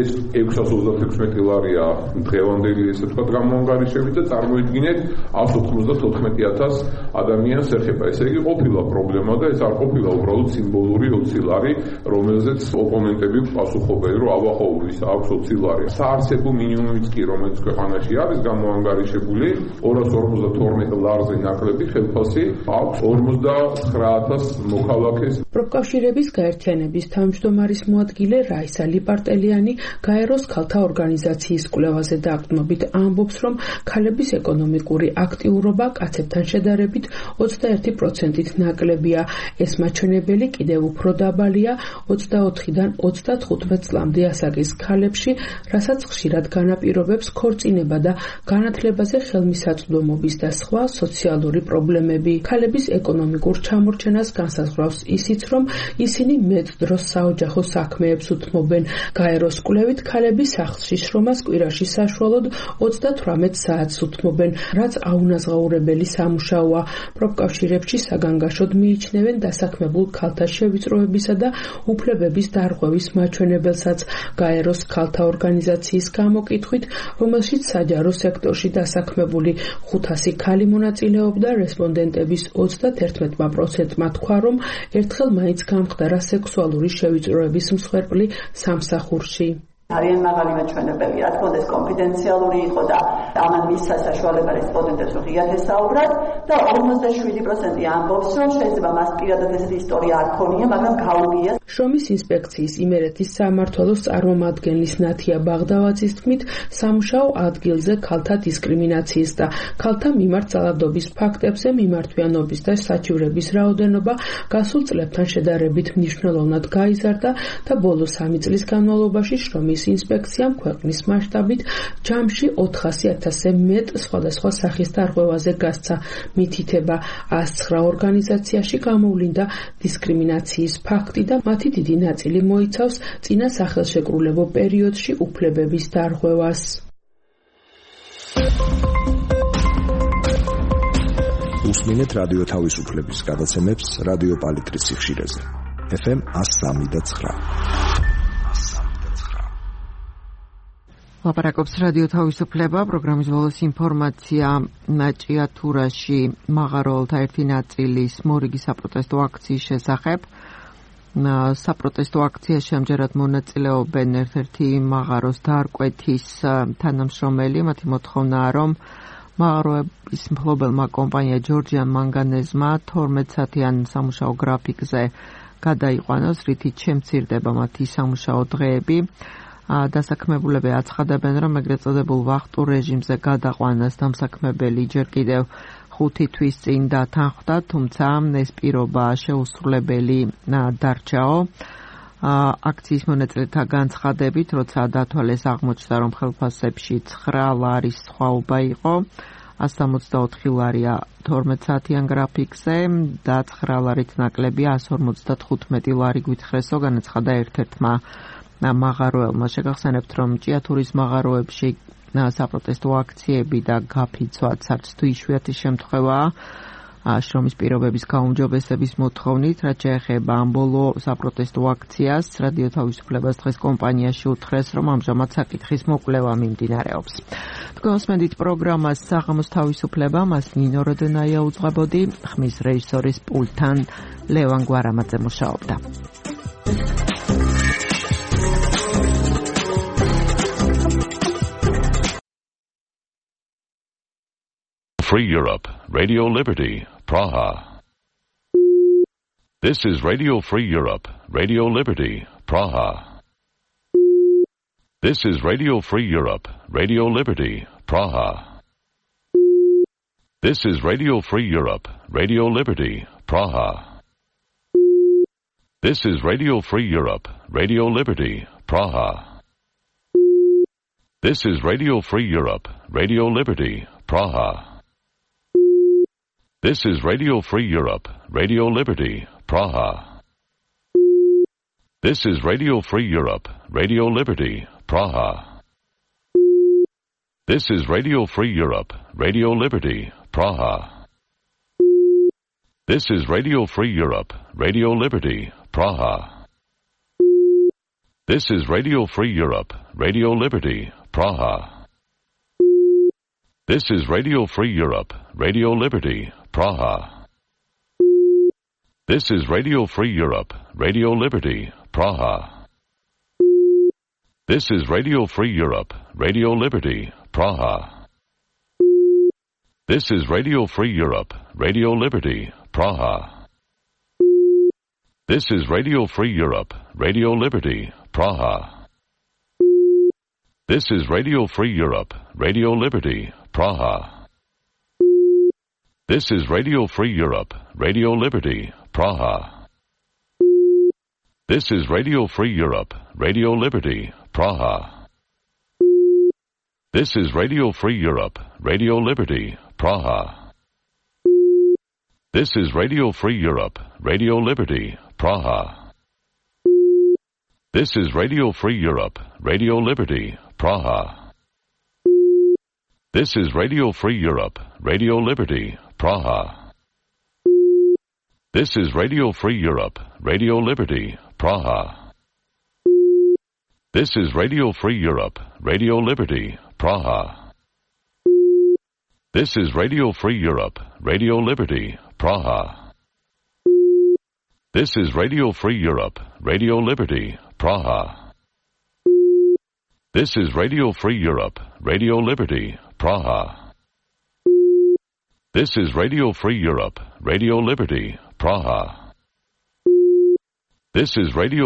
ეს 636 ლარია დღევანდელი ესე ვთქვათ გამოანგარიშებით და წარმოიდგინეთ 194,000 ადამიანს ეხება. ესე იგი ყოფილა პრობლემა და ეს არ ყოფილა უბრალოდ სიმბოლური 20 ლარი, რომელზეც ოპონენტები პასუხობენ, რომ აბახოურის აქვს 20 ლარი. საარსებო მინიმუმიც კი, რომელიც ქვეყანაში არის გამოანგარიშებული, 252 ლარზე ნაკლები ხელფასი აქვს 49,000 მოქალაქეს. პროფკავშირების გაერთიანების თავმჯდომარის მოადგილე რაისა ლიპარტელიანი გაეროს ქალთა ორგანიზაციის კვლევაზე დაყრდნობით ამბობს, რომ ქალების ეკონომიკური აქტიურობა კაცებთან შედარებით 21%-ით ნაკლებია. ეს მაჩვენებელი კიდევ უფრო დაბალია 24-დან 35 წლამდე ასაკის ქალებში, რასაც ხშირად განაპირობებს ქორწინება და განათლებაზე ხელმისაწვდომობის და სხვა სოციალური პრობლემები. ქალების ეკონომიკურ ჩამორჩენას განსაზღვრავს ისიც, რომ ისინი მეტ დროს საოჯახო საქმეებს უთმობენ. გაეროს კვლევით ქალები სახლში შრომას კვირაში საშუალოდ 38 საათს უთმობენ, რაც აუნაზღაურებელი სამუშაოა. პროფკავშირებში საგანგაშოდ მიიჩნევენ დასაქმებულ ქალთა შევიწროებისა და უფლებების დარღვევის მაჩვენებელსაც. გაეროს ქალთა ორგანიზაციის გამოკითხვით, რომელშიც საჯარო სექტორში დასაქმებული 500 ქალი მონაწილეობდა, რესპონდენტების 31%-მა თქვა, რომ ერთხელ მაინც გამხდარა სექსუალური შევიწროების მსხვერპლი სამსახურში. არიან მაღალი მაჩვენებელი, რა თქმა უნდა ეს კონფიდენციალური იყო და ამან მისცა საშუალება რესპონდენტებს რომ ღიად ესაუბრათ და 57% ამბობს, რომ შეიძლება მას პირადად ესეთი ისტორია არ ქონია, მაგრამ გაუგია. შრომის ინსპექციის იმერეთის სამმართველოს წარმომადგენლის ნათია ბაღდავაძის თქმით, სამუშაო ადგილზე ქალთა დისკრიმინაციის და ქალთა მიმართ ძალადობის ფაქტებზე მიმართვიანობის და საჩივრების რაოდენობა გასულ წლებთან შედარებით მნიშვნელოვნად გაიზარდა და ბოლო 3 წლის განმავლობაში შრომის ინსპექციამ ქვეყნის მასშტაბით ჯამში 400,000-ზე მეტ სხვადასხვა სახის დარღვევაზე გასცა. მითითება 109 ორგანიზაციაში გამოვლინდა დისკრიმინაციის ფაქტი და მათი დიდი ნაწილი მოიცავს წინა სახელშეკრულებო პერიოდში უფლებების დარღვევას. უსმინეთ რადიო თავისუფლების გადაცემებს რადიო პალიტრის სიხშირეზე. FM 103.9. ლაპარაკობს რადიო თავისუფლება, პროგრამის ბოლოს ინფორმაცია ჭიათურაში მაღაროელთა ერთი ნაწილის მორიგი საპროტესტო აქციის შესახებ. საპროტესტო აქციაში ამჯერად მონაწილეობენ ერთ-ერთი მაღაროს დარკვეთის თანამშრომელი. მათი მოთხოვნაა, რომ მაღაროების მფლობელმა კომპანია ჯორჯიან მანგანეზმა 12 საათიან სამუშაო გრაფიკზე გადაიყვანოს, რითიც შემცირდება მათი სამუშაო დღეები. დასაქმებულები აცხადებენ, რომ ეგრეთ წოდებულ ვახტურ რეჟიმზე გადაყვანას დამსაქმებელი ჯერ კიდევ 5 თვის წინ დათანხმდა, თუმცა ეს პირობა შეუსრულებელი დარჩაო. აქციის მონაწილეთა განცხადებით, როცა დათვალეს აღმოჩნდა, რომ ხელფასებში 9 ლარის სხვაობა იყო, 164 ლარია 12 საათიან გრაფიკზე და 9 ლარით ნაკლებია 155 ლარი გვითხრესო, განაცხადა ერთ-ერთმა მაღაროელმა. შეგახსენებთ, რომ ჭიათურის მაღაროებში საპროტესტო აქციები და გაფიცვაც არც თუ იშვიათი შემთხვევაა შრომის პირობების გაუმჯობესების მოთხოვნით, რაც შეეხება ამ ბოლო საპროტესტო აქციას, რადიო თავისუფლებას დღეს კომპანიაში უთხრეს, რომ ამჟამად საკითხის მოკვლევა მიმდინარეობს. თქვენ მოსმენთ პროგრამას საღამოს თავისუფლება, მას ნინო როდენაია უძღვებოდი, ხმის რეჟისორის პულტთან ლევან გვარამაძე მუშაობდა. Free Europe, Radio Liberty, Praha. This is Radio Free Europe, Radio Liberty, Praha. This is Radio Free Europe, Radio Liberty, Praha. This is Radio Free Europe, Radio Liberty, Praha. This is Radio Free Europe, Radio Liberty, Praha. This is Radio Free Europe, Radio Liberty, Praha. This is Radio Free Europe, Radio Liberty, Praha. This is Radio Free Europe, Radio Liberty, Praha. This is Radio Free Europe, Radio Liberty, Praha. This is Radio Free Europe, Radio Liberty, Praha. This is Radio Free Europe, Radio Liberty, Praha. This is Radio Free Europe, Radio Liberty, Praha. This is Radio Free Europe, Radio Liberty, Praha. This is Radio Free Europe, Radio Liberty, Praha. This is Radio Free Europe, Radio Liberty, Praha. This is Radio Free Europe, Radio Liberty, Praha. This is Radio Free Europe, Radio Liberty, Praha. This is Radio Free Europe, Radio Liberty, Praha. This is Radio Free Europe, Radio Liberty, Praha. This is Radio Free Europe, Radio Liberty, Praha. This is Radio Free Europe, Radio Liberty, Praha. This is Radio Free Europe, Radio Liberty, Praha. This is Radio Free Europe, Radio Liberty, Praha. This is Radio Free Europe, Radio Liberty, Praha. This is Radio Free Europe, Radio Liberty, Praha. This is Radio Free Europe, Radio Liberty, Praha. This is Radio Free Europe, Radio Liberty, Praha. This is Radio Free Europe, Radio Liberty, Praha. This is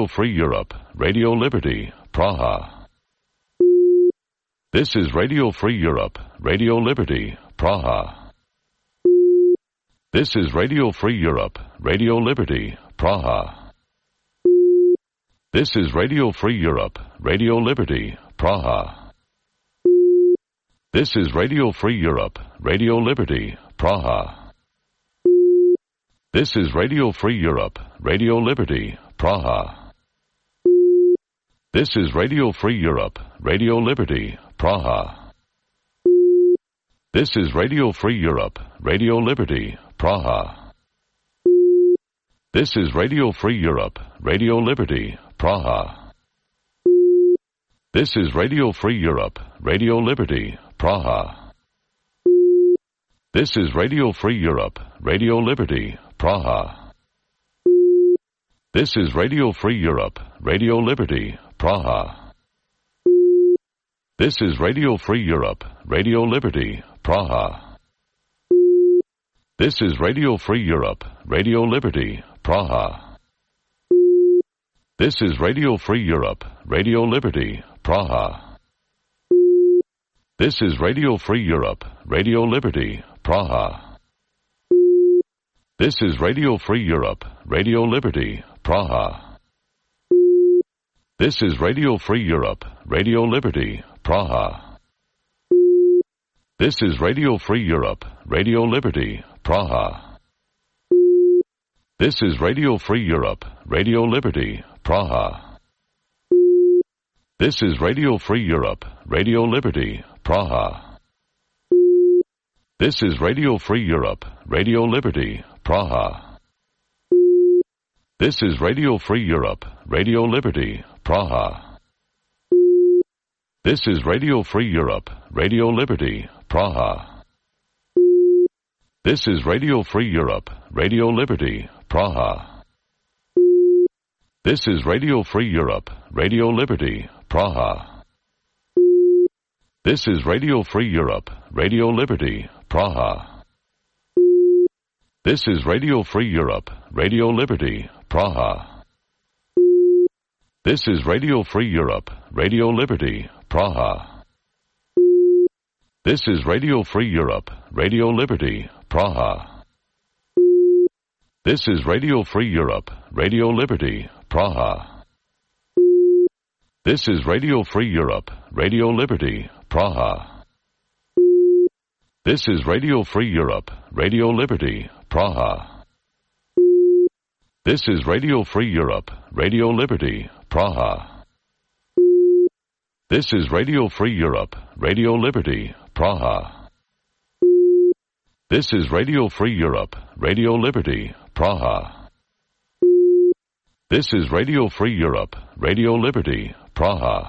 Radio Free Europe, Radio Liberty, Praha. This is Radio Free Europe, Radio Liberty, Praha. This is Radio Free Europe, Radio Liberty, Praha. This is Radio Free Europe, Radio Liberty, Praha. This is Radio Free Europe, Radio Liberty, Praha. This is Radio Free Europe, Radio Liberty, Praha. This is Radio Free Europe, Radio Liberty, Praha. This is Radio Free Europe, Radio Liberty, Praha. This is Radio Free Europe, Radio Liberty, Praha. This is Radio Free Europe, Radio Liberty, Praha. This is Radio Free Europe, Radio Liberty, Praha. This is Radio Free Europe, Radio Liberty, Praha. This is Radio Free Europe, Radio Liberty, Praha. This is Radio Free Europe, Radio Liberty, Praha. This is Radio Free Europe, Radio Liberty, Praha. This is Radio Free Europe, Radio Liberty, Praha. This is Radio Free Europe, Radio Liberty, Praha. This is Radio Free Europe, Radio Liberty, Praha. This is Radio Free Europe, Radio Liberty, Praha. This is Radio Free Europe, Radio Liberty, Praha. This is Radio Free Europe, Radio Liberty, Praha. This is Radio Free Europe, Radio Liberty, Praha. This is Radio Free Europe, Radio Liberty, Praha. This is Radio Free Europe, Radio Liberty, Praha. This is Radio Free Europe, Radio Liberty, Praha. This is Radio Free Europe, Radio Liberty, Praha. This is Radio Free Europe, Radio Liberty, Praha. This is Radio Free Europe, Radio Liberty, Praha. This is Radio Free Europe, Radio Liberty, Praha. This is Radio Free Europe, Radio Liberty, Praha. This is Radio Free Europe, Radio Liberty, Praha. This is Radio Free Europe, Radio Liberty, Praha. This is Radio Free Europe, Radio Liberty, Praha. This is Radio Free Europe, Radio Liberty, Praha. This is Radio Free Europe, Radio Liberty, Praha. This is Radio Free Europe, Radio Liberty, Praha. This is Radio Free Europe, Radio Liberty, Praha. This is Radio Free Europe, Radio Liberty, Praha.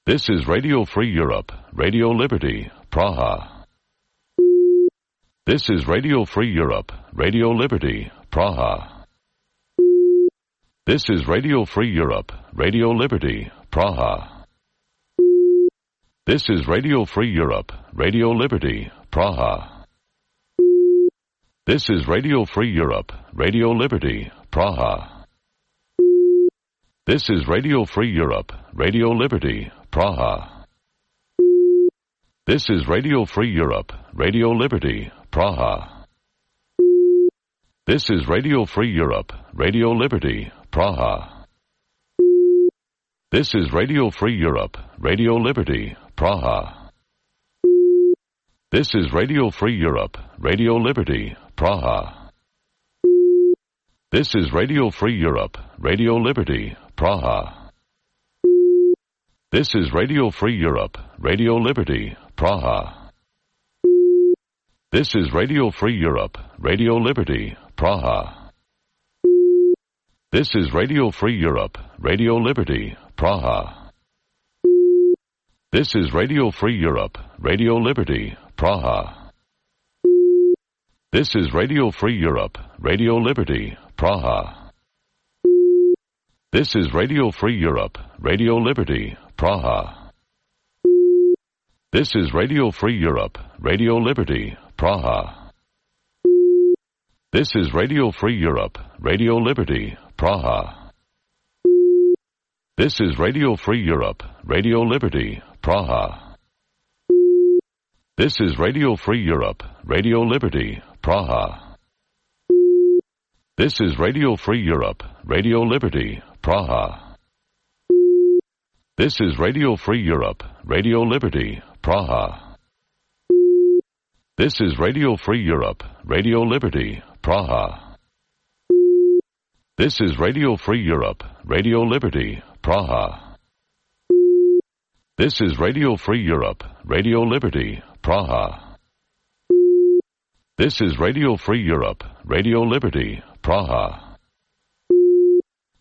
This is Radio Free Europe, Radio Liberty, Praha. This is Radio Free Europe, Radio Liberty, Praha. This is Radio Free Europe, Radio Liberty, Praha. This is Radio Free Europe, Radio Liberty, Praha. This is Radio Free Europe, Radio Liberty, Praha. This is Radio Free Europe, Radio Liberty, Praha. This is Radio Free Europe, Radio Liberty, Praha. This is Radio Free Europe, Radio Liberty, Praha. This is Radio Free Europe, Radio Liberty, Praha. This is Radio Free Europe, Radio Liberty, Praha. This is Radio Free Europe, Radio Liberty, Praha. This is Radio Free Europe, Radio Liberty, Praha. This is Radio Free Europe, Radio Liberty, Praha. This is Radio Free Europe, Radio Liberty, Praha. This is Radio Free Europe, Radio Liberty, Praha. This is Radio Free Europe, Radio Liberty, Praha. This is Radio Free Europe, Radio Liberty, Praha. This is Radio Free Europe, Radio Liberty, Praha. This is Radio Free Europe, Radio Liberty, Praha. This is Radio Free Europe, Radio Liberty, Praha. This is Radio Free Europe, Radio Liberty, Praha. This is Radio Free Europe, Radio Liberty, Praha. This is Radio Free Europe, Radio Liberty, Praha. This is Radio Free Europe, Radio Liberty, Praha. This is Radio Free Europe, Radio Liberty, Praha. This is Radio Free Europe, Radio Liberty, Praha. This is Radio Free Europe, Radio Liberty, Praha.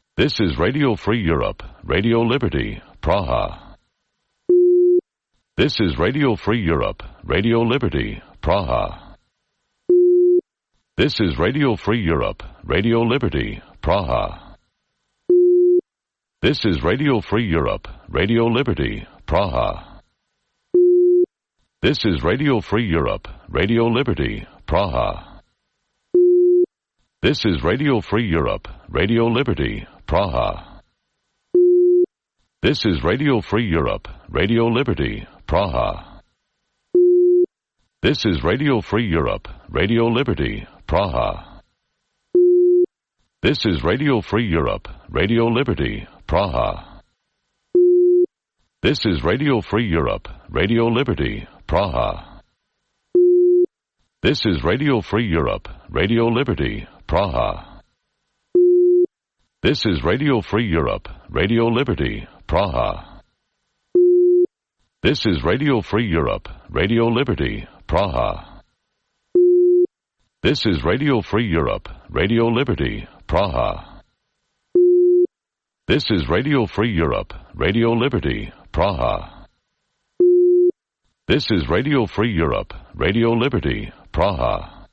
This is Radio Free Europe, Radio Liberty, Praha. This is Radio Free Europe, Radio Liberty, Praha. This is Radio Free Europe, Radio Liberty, Praha. This is Radio Free Europe, Radio Liberty, Praha. This is Radio Free Europe, Radio Liberty, Praha. This is Radio Free Europe, Radio Liberty, Praha. This is Radio Free Europe, Radio Liberty, Praha. This is Radio Free Europe, Radio Liberty, Praha. This is Radio Free Europe, Radio Liberty, Praha. This is Radio Free Europe, Radio Liberty, Praha. This is Radio Free Europe, Radio Liberty, Praha. This is Radio Free Europe, Radio Liberty, Praha. This is Radio Free Europe, Radio Liberty, Praha. This is Radio Free Europe, Radio Liberty, Praha. This is Radio Free Europe, Radio Liberty, Praha. This is Radio Free Europe, Radio Liberty, Praha.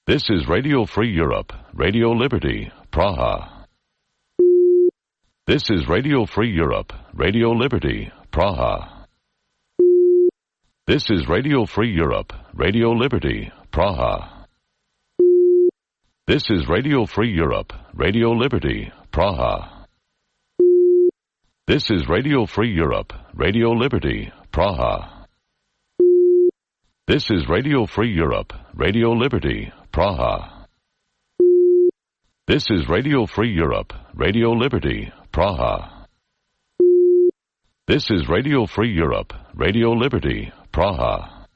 This is Radio Free Europe, Radio Liberty, Praha. This is Radio Free Europe, Radio Liberty, Praha. This is Radio Free Europe, Radio Liberty, Praha. This is Radio Free Europe, Radio Liberty, Praha. This is Radio Free Europe, Radio Liberty, Praha. This is Radio Free Europe, Radio Liberty, Praha. This is Radio Free Europe, Radio Liberty, Praha. This is Radio Free Europe, Radio Liberty, Praha.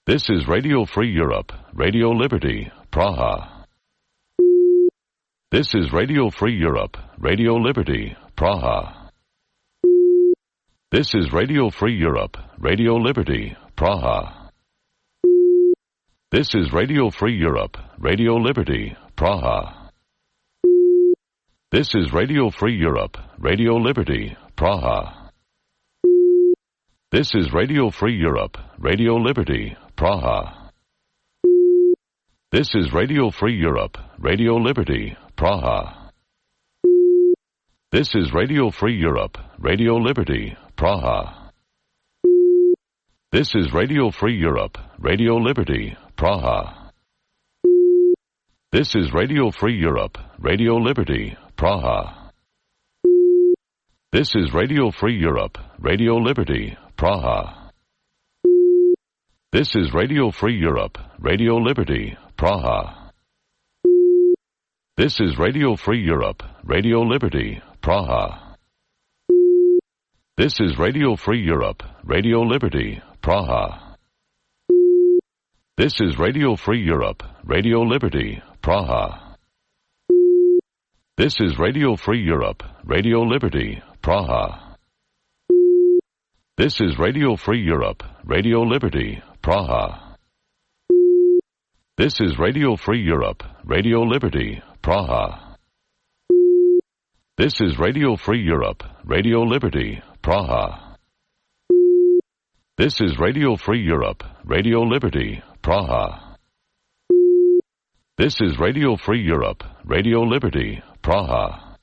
This is Radio Free Europe, Radio Liberty, Praha. This is Radio Free Europe, Radio Liberty, Praha. This is Radio Free Europe, Radio Liberty, Praha. This is Radio Free Europe, Radio Liberty, Praha. This is Radio Free Europe, Radio Liberty, Praha. This is Radio Free Europe, Radio Liberty, Praha. This is Radio Free Europe, Radio Liberty, Praha. This is Radio Free Europe, Radio Liberty, Praha. This is Radio Free Europe, Radio Liberty, Praha. This is Radio Free Europe, Radio Liberty, Praha. This is Radio Free Europe, Radio Liberty, Praha. This is Radio Free Europe, Radio Liberty, Praha. This is Radio Free Europe, Radio Liberty, Praha. This is Radio Free Europe, Radio Liberty, Praha. This is Radio Free Europe, Radio Liberty, Praha. This is Radio Free Europe, Radio Liberty, Praha. This is Radio Free Europe, Radio Liberty, Praha. This is Radio Free Europe, Radio Liberty, Praha. This is Radio Free Europe, Radio Liberty, Praha. This is Radio Free Europe, Radio Liberty, Praha. This is Radio Free Europe, Radio Liberty, Praha.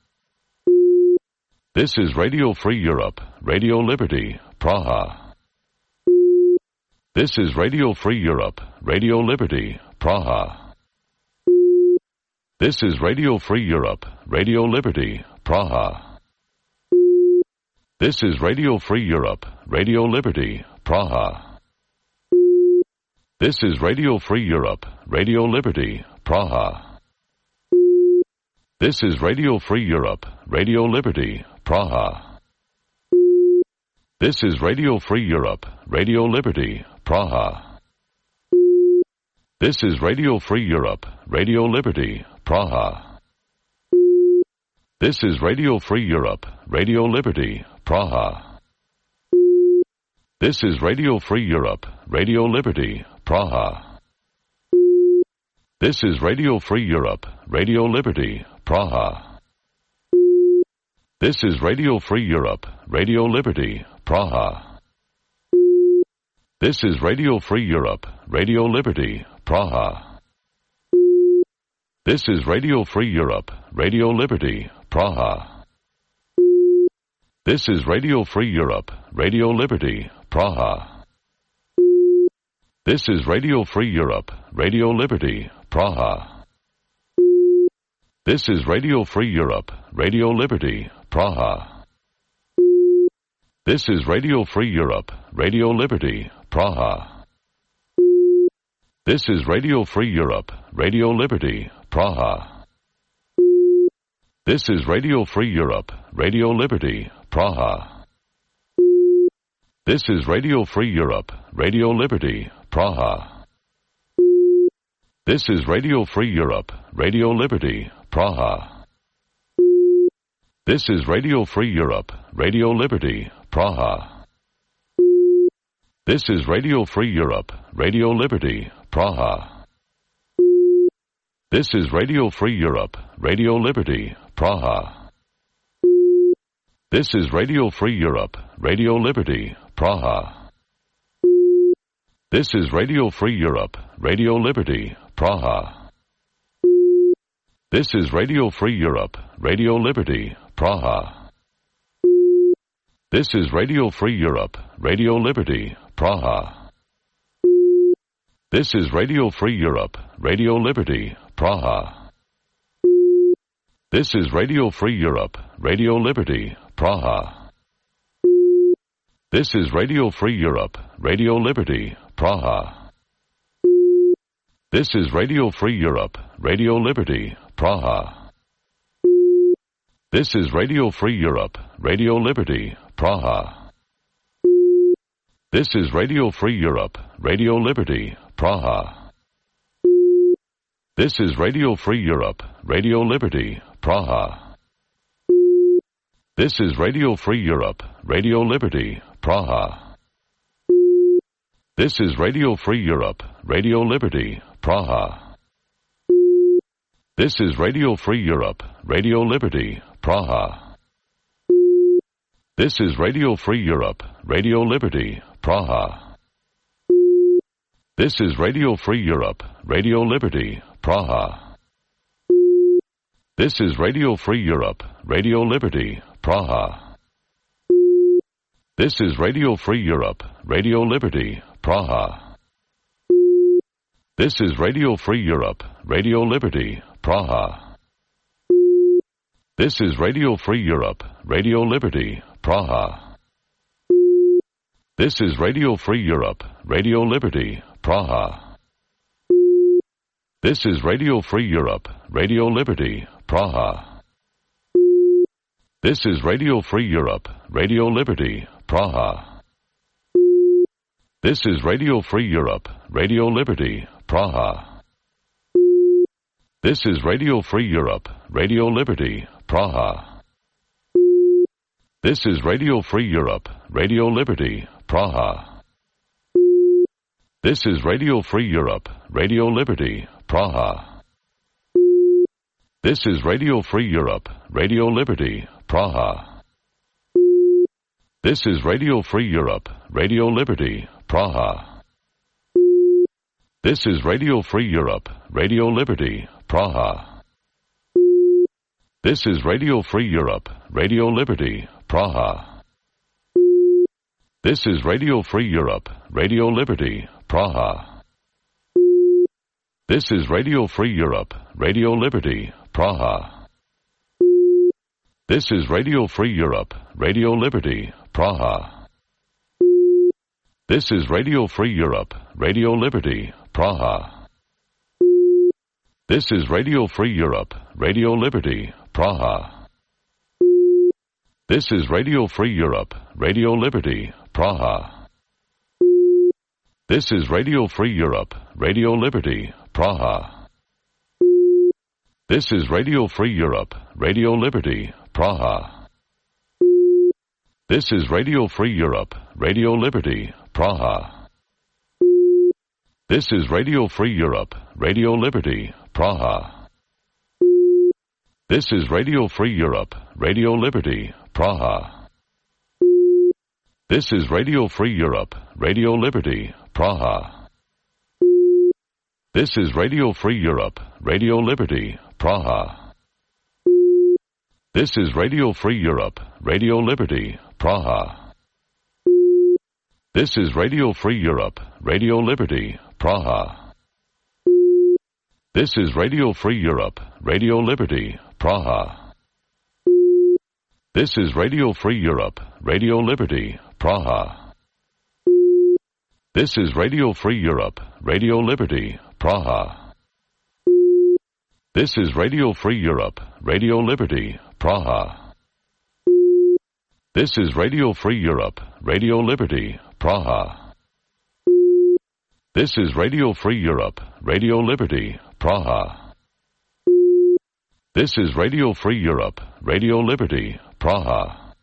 This is Radio Free Europe, Radio Liberty, Praha. This is Radio Free Europe, Radio Liberty, Praha. This is Radio Free Europe, Radio Liberty, Praha. This is Radio Free Europe, Radio Liberty, Praha. This is Radio Free Europe, Radio Liberty, Praha. This is Radio Free Europe, Radio Liberty, Praha. This is Radio Free Europe, Radio Liberty, Praha. This is Radio Free Europe, Radio Liberty, Praha. This is Radio Free Europe, Radio Liberty, Praha. This is Radio Free Europe, Radio Liberty, Praha. This is Radio Free Europe, Radio Liberty, Praha. This is Radio Free Europe, Radio Liberty, Praha. This is Radio Free Europe, Radio Liberty, Praha. This is Radio Free Europe, Radio Liberty, Praha. This is Radio Free Europe, Radio Liberty, Praha. This is Radio Free Europe, Radio Liberty, Praha. This is Radio Free Europe, Radio Liberty, Praha. This is Radio Free Europe, Radio Liberty, Praha. This is Radio Free Europe, Radio Liberty, Praha. This is Radio Free Europe, Radio Liberty, Praha. This is Radio Free Europe, Radio Liberty, Praha. This is Radio Free Europe, Radio Liberty, Praha. This is Radio Free Europe, Radio Liberty, Praha. This is Radio Free Europe, Radio Liberty, Praha. This is Radio Free Europe, Radio Liberty, Praha. This is Radio Free Europe, Radio Liberty, Praha. This is Radio Free Europe, Radio Liberty, Praha. This is Radio Free Europe, Radio Liberty, Praha. This is Radio Free Europe, Radio Liberty, Praha. This is Radio Free Europe, Radio Liberty, Praha. This is Radio Free Europe, Radio Liberty, Praha. This is Radio Free Europe, Radio Liberty, Praha. This is Radio Free Europe, Radio Liberty, Praha. This is Radio Free Europe, Radio Liberty, Praha. This is Radio Free Europe, Radio Liberty, Praha. This is Radio Free Europe, Radio Liberty, Praha. This is Radio Free Europe, Radio Liberty, Praha. This is Radio Free Europe, Radio Liberty, Praha. This is Radio Free Europe, Radio Liberty, Praha. This is Radio Free Europe, Radio Liberty, Praha. This is Radio Free Europe, Radio Liberty, Praha. This is Radio Free Europe, Radio Liberty, Praha. This is Radio Free Europe, Radio Liberty, Praha. This is Radio Free Europe, Radio Liberty, Praha. This is Radio Free Europe, Radio Liberty, Praha. This is Radio Free Europe, Radio Liberty, Praha. This is Radio Free Europe, Radio Liberty, Praha. This is Radio Free Europe, Radio Liberty, Praha. This is Radio Free Europe, Radio Liberty, Praha. This is Radio Free Europe, Radio Liberty, Praha. This is Radio Free Europe, Radio Liberty, Praha. This is Radio Free Europe, Radio Liberty, Praha. This is Radio Free Europe, Radio Liberty, Praha. This is Radio Free Europe, Radio Liberty, Praha. This is Radio Free Europe, Radio Liberty, Praha. This is Radio Free Europe, Radio Liberty, Praha. This is Radio Free Europe, Radio Liberty, Praha. This is Radio Free Europe, Radio Liberty, Praha. This is Radio Free Europe, Radio Liberty, Praha. This is Radio Free Europe, Radio Liberty, Praha. This is Radio Free Europe, Radio Liberty, Praha. This is Radio Free Europe, Radio Liberty, Praha. This is Radio Free Europe, Radio Liberty, Praha. This is Radio Free Europe, Radio Liberty, Praha. This is Radio Free Europe, Radio Liberty, Praha. This is Radio Free Europe, Radio Liberty, Praha. This is Radio Free Europe, Radio Liberty, Praha. This is Radio Free Europe, Radio Liberty, Praha. This is Radio Free Europe, Radio Liberty, Praha. This is Radio Free Europe, Radio Liberty, Praha. This is Radio Free Europe, Radio Liberty, Praha. This is Radio Free Europe, Radio Liberty, Praha. This is Radio Free Europe, Radio Liberty, Praha. This is Radio Free Europe, Radio Liberty, Praha. This is Radio Free Europe, Radio Liberty, Praha. This is Radio Free Europe, Radio Liberty, Praha. This is Radio Free Europe, Radio Liberty, Praha. This is Radio Free Europe, Radio Liberty, Praha.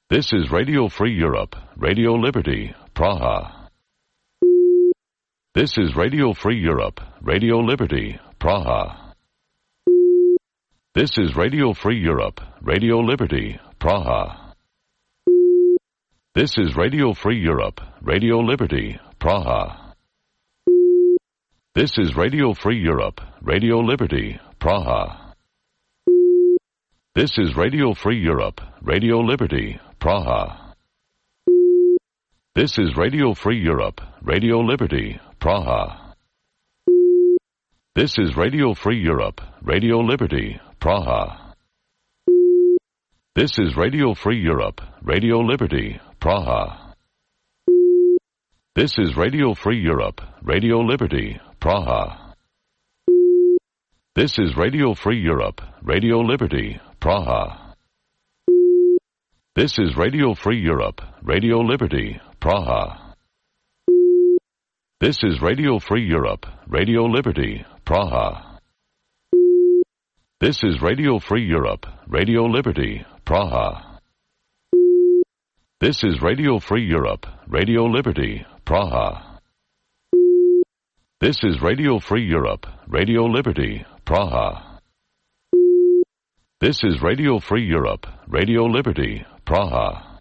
This is Radio Free Europe, Radio Liberty, Praha. This is Radio Free Europe, Radio Liberty, Praha. This is Radio Free Europe, Radio Liberty, Praha. This is Radio Free Europe, Radio Liberty, Praha. This is Radio Free Europe, Radio Liberty, Praha. This is Radio Free Europe, Radio Liberty, Praha. This is Radio Free Europe, Radio Liberty, Praha. This is Radio Free Europe, Radio Liberty, Praha. This is Radio Free Europe, Radio Liberty, Praha. This is Radio Free Europe, Radio Liberty, Praha. This is Radio Free Europe, Radio Liberty, Praha. This is Radio Free Europe, Radio Liberty, Praha. This is Radio Free Europe, Radio Liberty, Praha. This is Radio Free Europe, Radio Liberty, Praha. This is Radio Free Europe, Radio Liberty, Praha. This is Radio Free Europe, Radio Liberty, Praha. This is Radio Free Europe, Radio Liberty, Praha.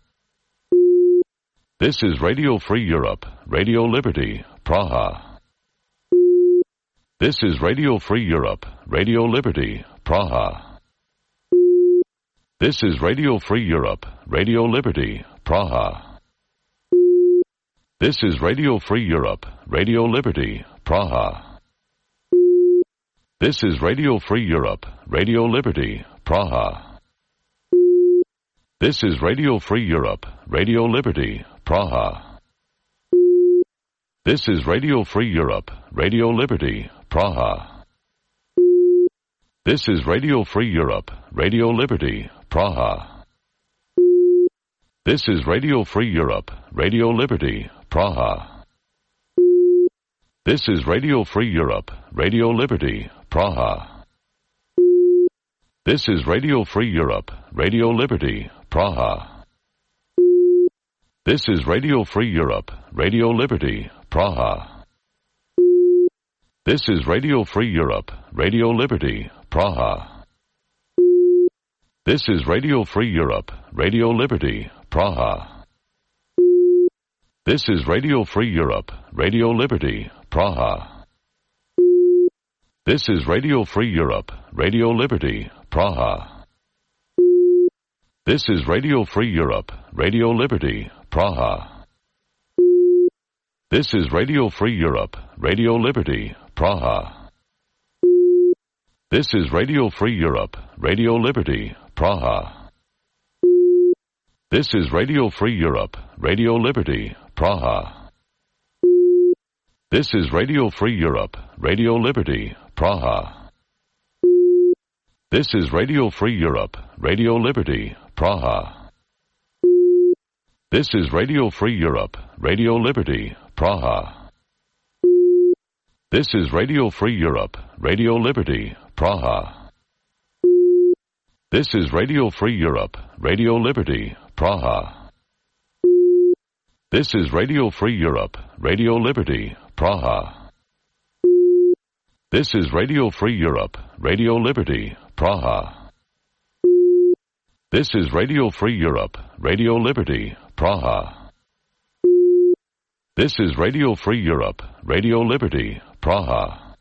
This is Radio Free Europe, Radio Liberty, Praha. This is Radio Free Europe, Radio Liberty, Praha. This is Radio Free Europe, Radio Liberty, Praha. This is Radio Free Europe, Radio Liberty, Praha. This is Radio Free Europe, Radio Liberty, Praha. This is Radio Free Europe, Radio Liberty, Praha. This is Radio Free Europe, Radio Liberty, Praha. This is Radio Free Europe, Radio Liberty, Praha. This is Radio Free Europe, Radio Liberty, Praha. This is Radio Free Europe, Radio Liberty, Praha. This is Radio Free Europe, Radio Liberty, Praha. This is Radio Free Europe, Radio Liberty, Praha. This is Radio Free Europe, Radio Liberty, Praha. This is Radio Free Europe, Radio Liberty, Praha. This is Radio Free Europe, Radio Liberty, Praha. This is Radio Free Europe, Radio Liberty, Praha. This is Radio Free Europe, Radio Liberty, Praha. This is Radio Free Europe, Radio Liberty, Praha. This is Radio Free Europe, Radio Liberty, Praha. This is Radio Free Europe, Radio Liberty, Praha. This is Radio Free Europe, Radio Liberty, Praha. This is Radio Free Europe, Radio Liberty, Praha. This is Radio Free Europe, Radio Liberty, Praha. This is Radio Free Europe, Radio Liberty, Praha. This is Radio Free Europe, Radio Liberty, Praha. This is Radio Free Europe, Radio Liberty, Praha. This is Radio Free Europe, Radio Liberty, Praha. This is Radio Free Europe, Radio Liberty, Praha. This is Radio Free Europe, Radio Liberty, Praha.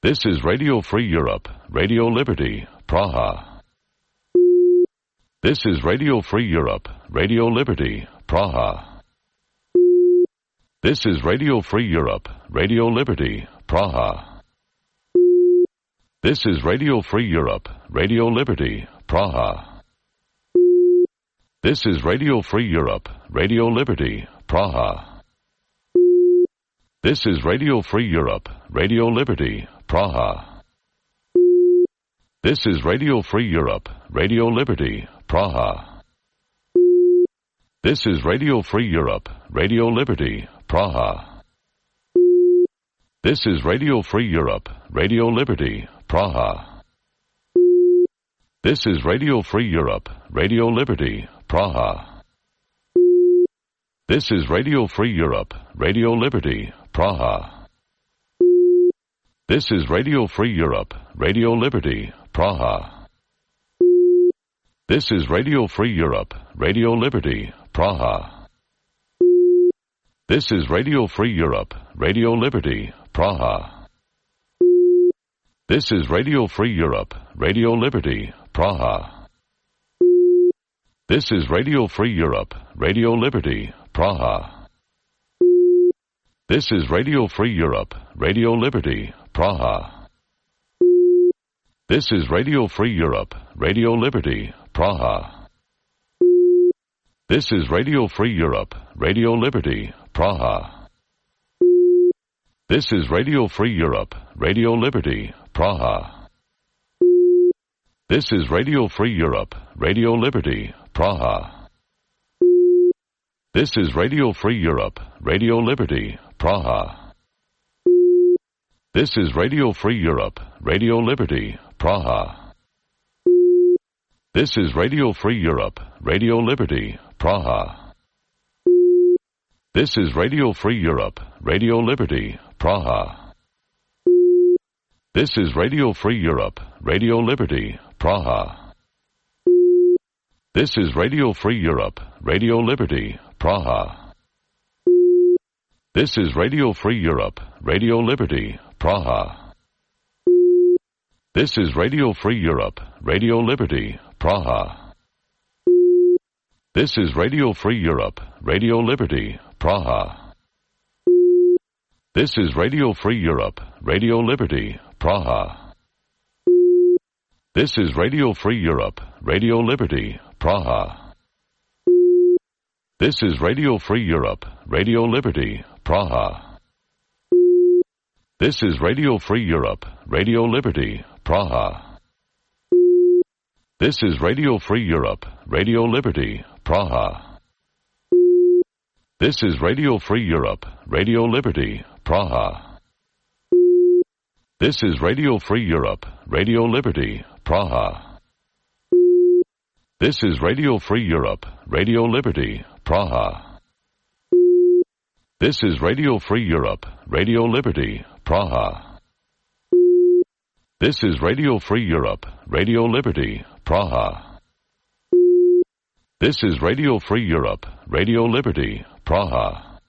This is Radio Free Europe, Radio Liberty, Praha. This is Radio Free Europe, Radio Liberty, Praha. This is Radio Free Europe, Radio Liberty, Praha. This is Radio Free Europe, Radio Liberty, Praha. This is Radio Free Europe, Radio Liberty, Praha. This is Radio Free Europe, Radio Liberty, Praha. This is Radio Free Europe, Radio Liberty, Praha. This is Radio Free Europe, Radio Liberty, Praha. This is Radio Free Europe, Radio Liberty, Praha. This is Radio Free Europe, Radio Liberty, Praha. This is Radio Free Europe, Radio Liberty, Praha. This is Radio Free Europe, Radio Liberty, Praha. This is Radio Free Europe, Radio Liberty, Praha. This is Radio Free Europe, Radio Liberty, Praha. This is Radio Free Europe, Radio Liberty, Praha. This is Radio Free Europe, Radio Liberty, Praha. This is Radio Free Europe, Radio Liberty, Praha. This is Radio Free Europe, Radio Liberty, Praha. This is Radio Free Europe, Radio Liberty, Praha. This is Radio Free Europe, Radio Liberty, Praha. This is Radio Free Europe, Radio Liberty, Praha. This is Radio Free Europe, Radio Liberty, Praha. This is Radio Free Europe, Radio Liberty, Praha. This is Radio Free Europe, Radio Liberty, Praha. This is Radio Free Europe, Radio Liberty, Praha. This is Radio Free Europe, Radio Liberty, Praha. This is Radio Free Europe, Radio Liberty, Praha. This is Radio Free Europe, Radio Liberty, Praha. This is Radio Free Europe, Radio Liberty, Praha. This is Radio Free Europe, Radio Liberty, Praha. This is Radio Free Europe, Radio Liberty, Praha. This is Radio Free Europe, Radio Liberty, Praha. This is Radio Free Europe, Radio Liberty, Praha. This is Radio Free Europe, Radio Liberty, Praha. This is Radio Free Europe, Radio Liberty, Praha. This is Radio Free Europe, Radio Liberty, Praha. This is Radio Free Europe, Radio Liberty, Praha. This is Radio Free Europe, Radio Liberty, Praha. This is Radio Free Europe, Radio Liberty, Praha. This is Radio Free Europe, Radio Liberty, Praha. This is Radio Free Europe, Radio Liberty, Praha.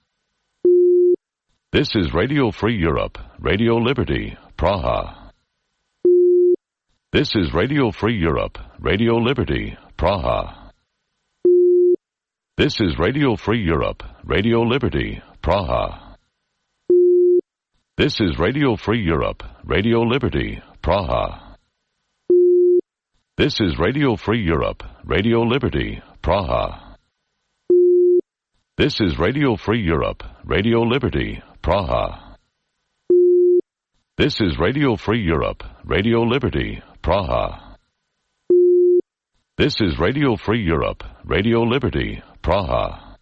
This is Radio Free Europe, Radio Liberty, Praha. This is Radio Free Europe, Radio Liberty, Praha. This is Radio Free Europe, Radio Liberty, Praha. This is Radio Free Europe, Radio Liberty, Praha. This is Radio Free Europe, Radio Liberty, Praha. This is Radio Free Europe, Radio Liberty, Praha. This is Radio Free Europe, Radio Liberty, Praha. This is Radio Free Europe, Radio Liberty, Praha.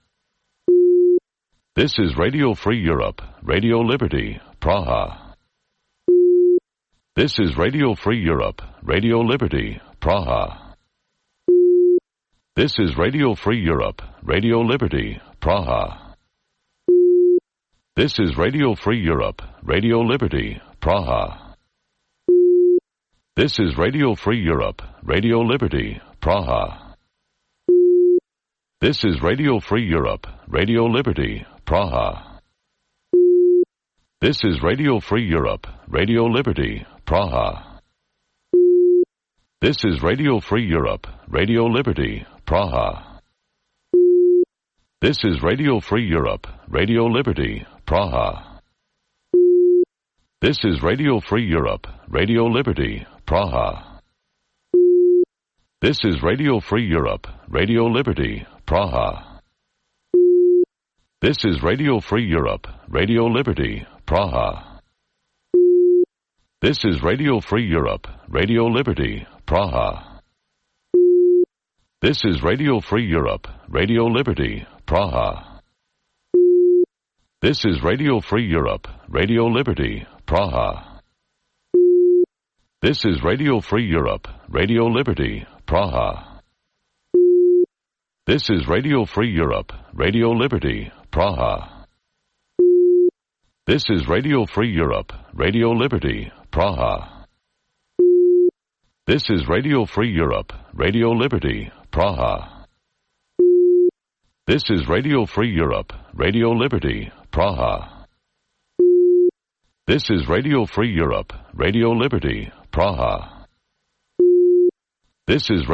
This is Radio Free Europe, Radio Liberty, Praha. This is Radio Free Europe, Radio Liberty, Praha. This is Radio Free Europe, Radio Liberty, Praha. This is Radio Free Europe, Radio Liberty, Praha. This is Radio Free Europe, Radio Liberty, Praha. This is Radio Free Europe, Radio Liberty, Praha. This is Radio Free Europe, Radio Liberty, Praha. This is Radio Free Europe, Radio Liberty, Praha. This is Radio Free Europe, Radio Liberty, Praha. This is Radio Free Europe, Radio Liberty, Praha. This is Radio Free Europe, Radio Liberty, Praha. This is Radio Free Europe, Radio Liberty, Praha. This is Radio Free Europe, Radio Liberty, Praha. This is Radio Free Europe, Radio Liberty, Praha. This is Radio Free Europe, Radio Liberty, Praha. This is Radio Free Europe, Radio Liberty, Praha. This is Radio Free Europe, Radio Liberty, Praha. This is Radio Free Europe, Radio Liberty, Praha. This is Radio Free Europe, Radio Liberty, Praha. This is Radio Free Europe, Radio Liberty, Praha. This is Radio Free Europe, Radio Liberty, Praha. This is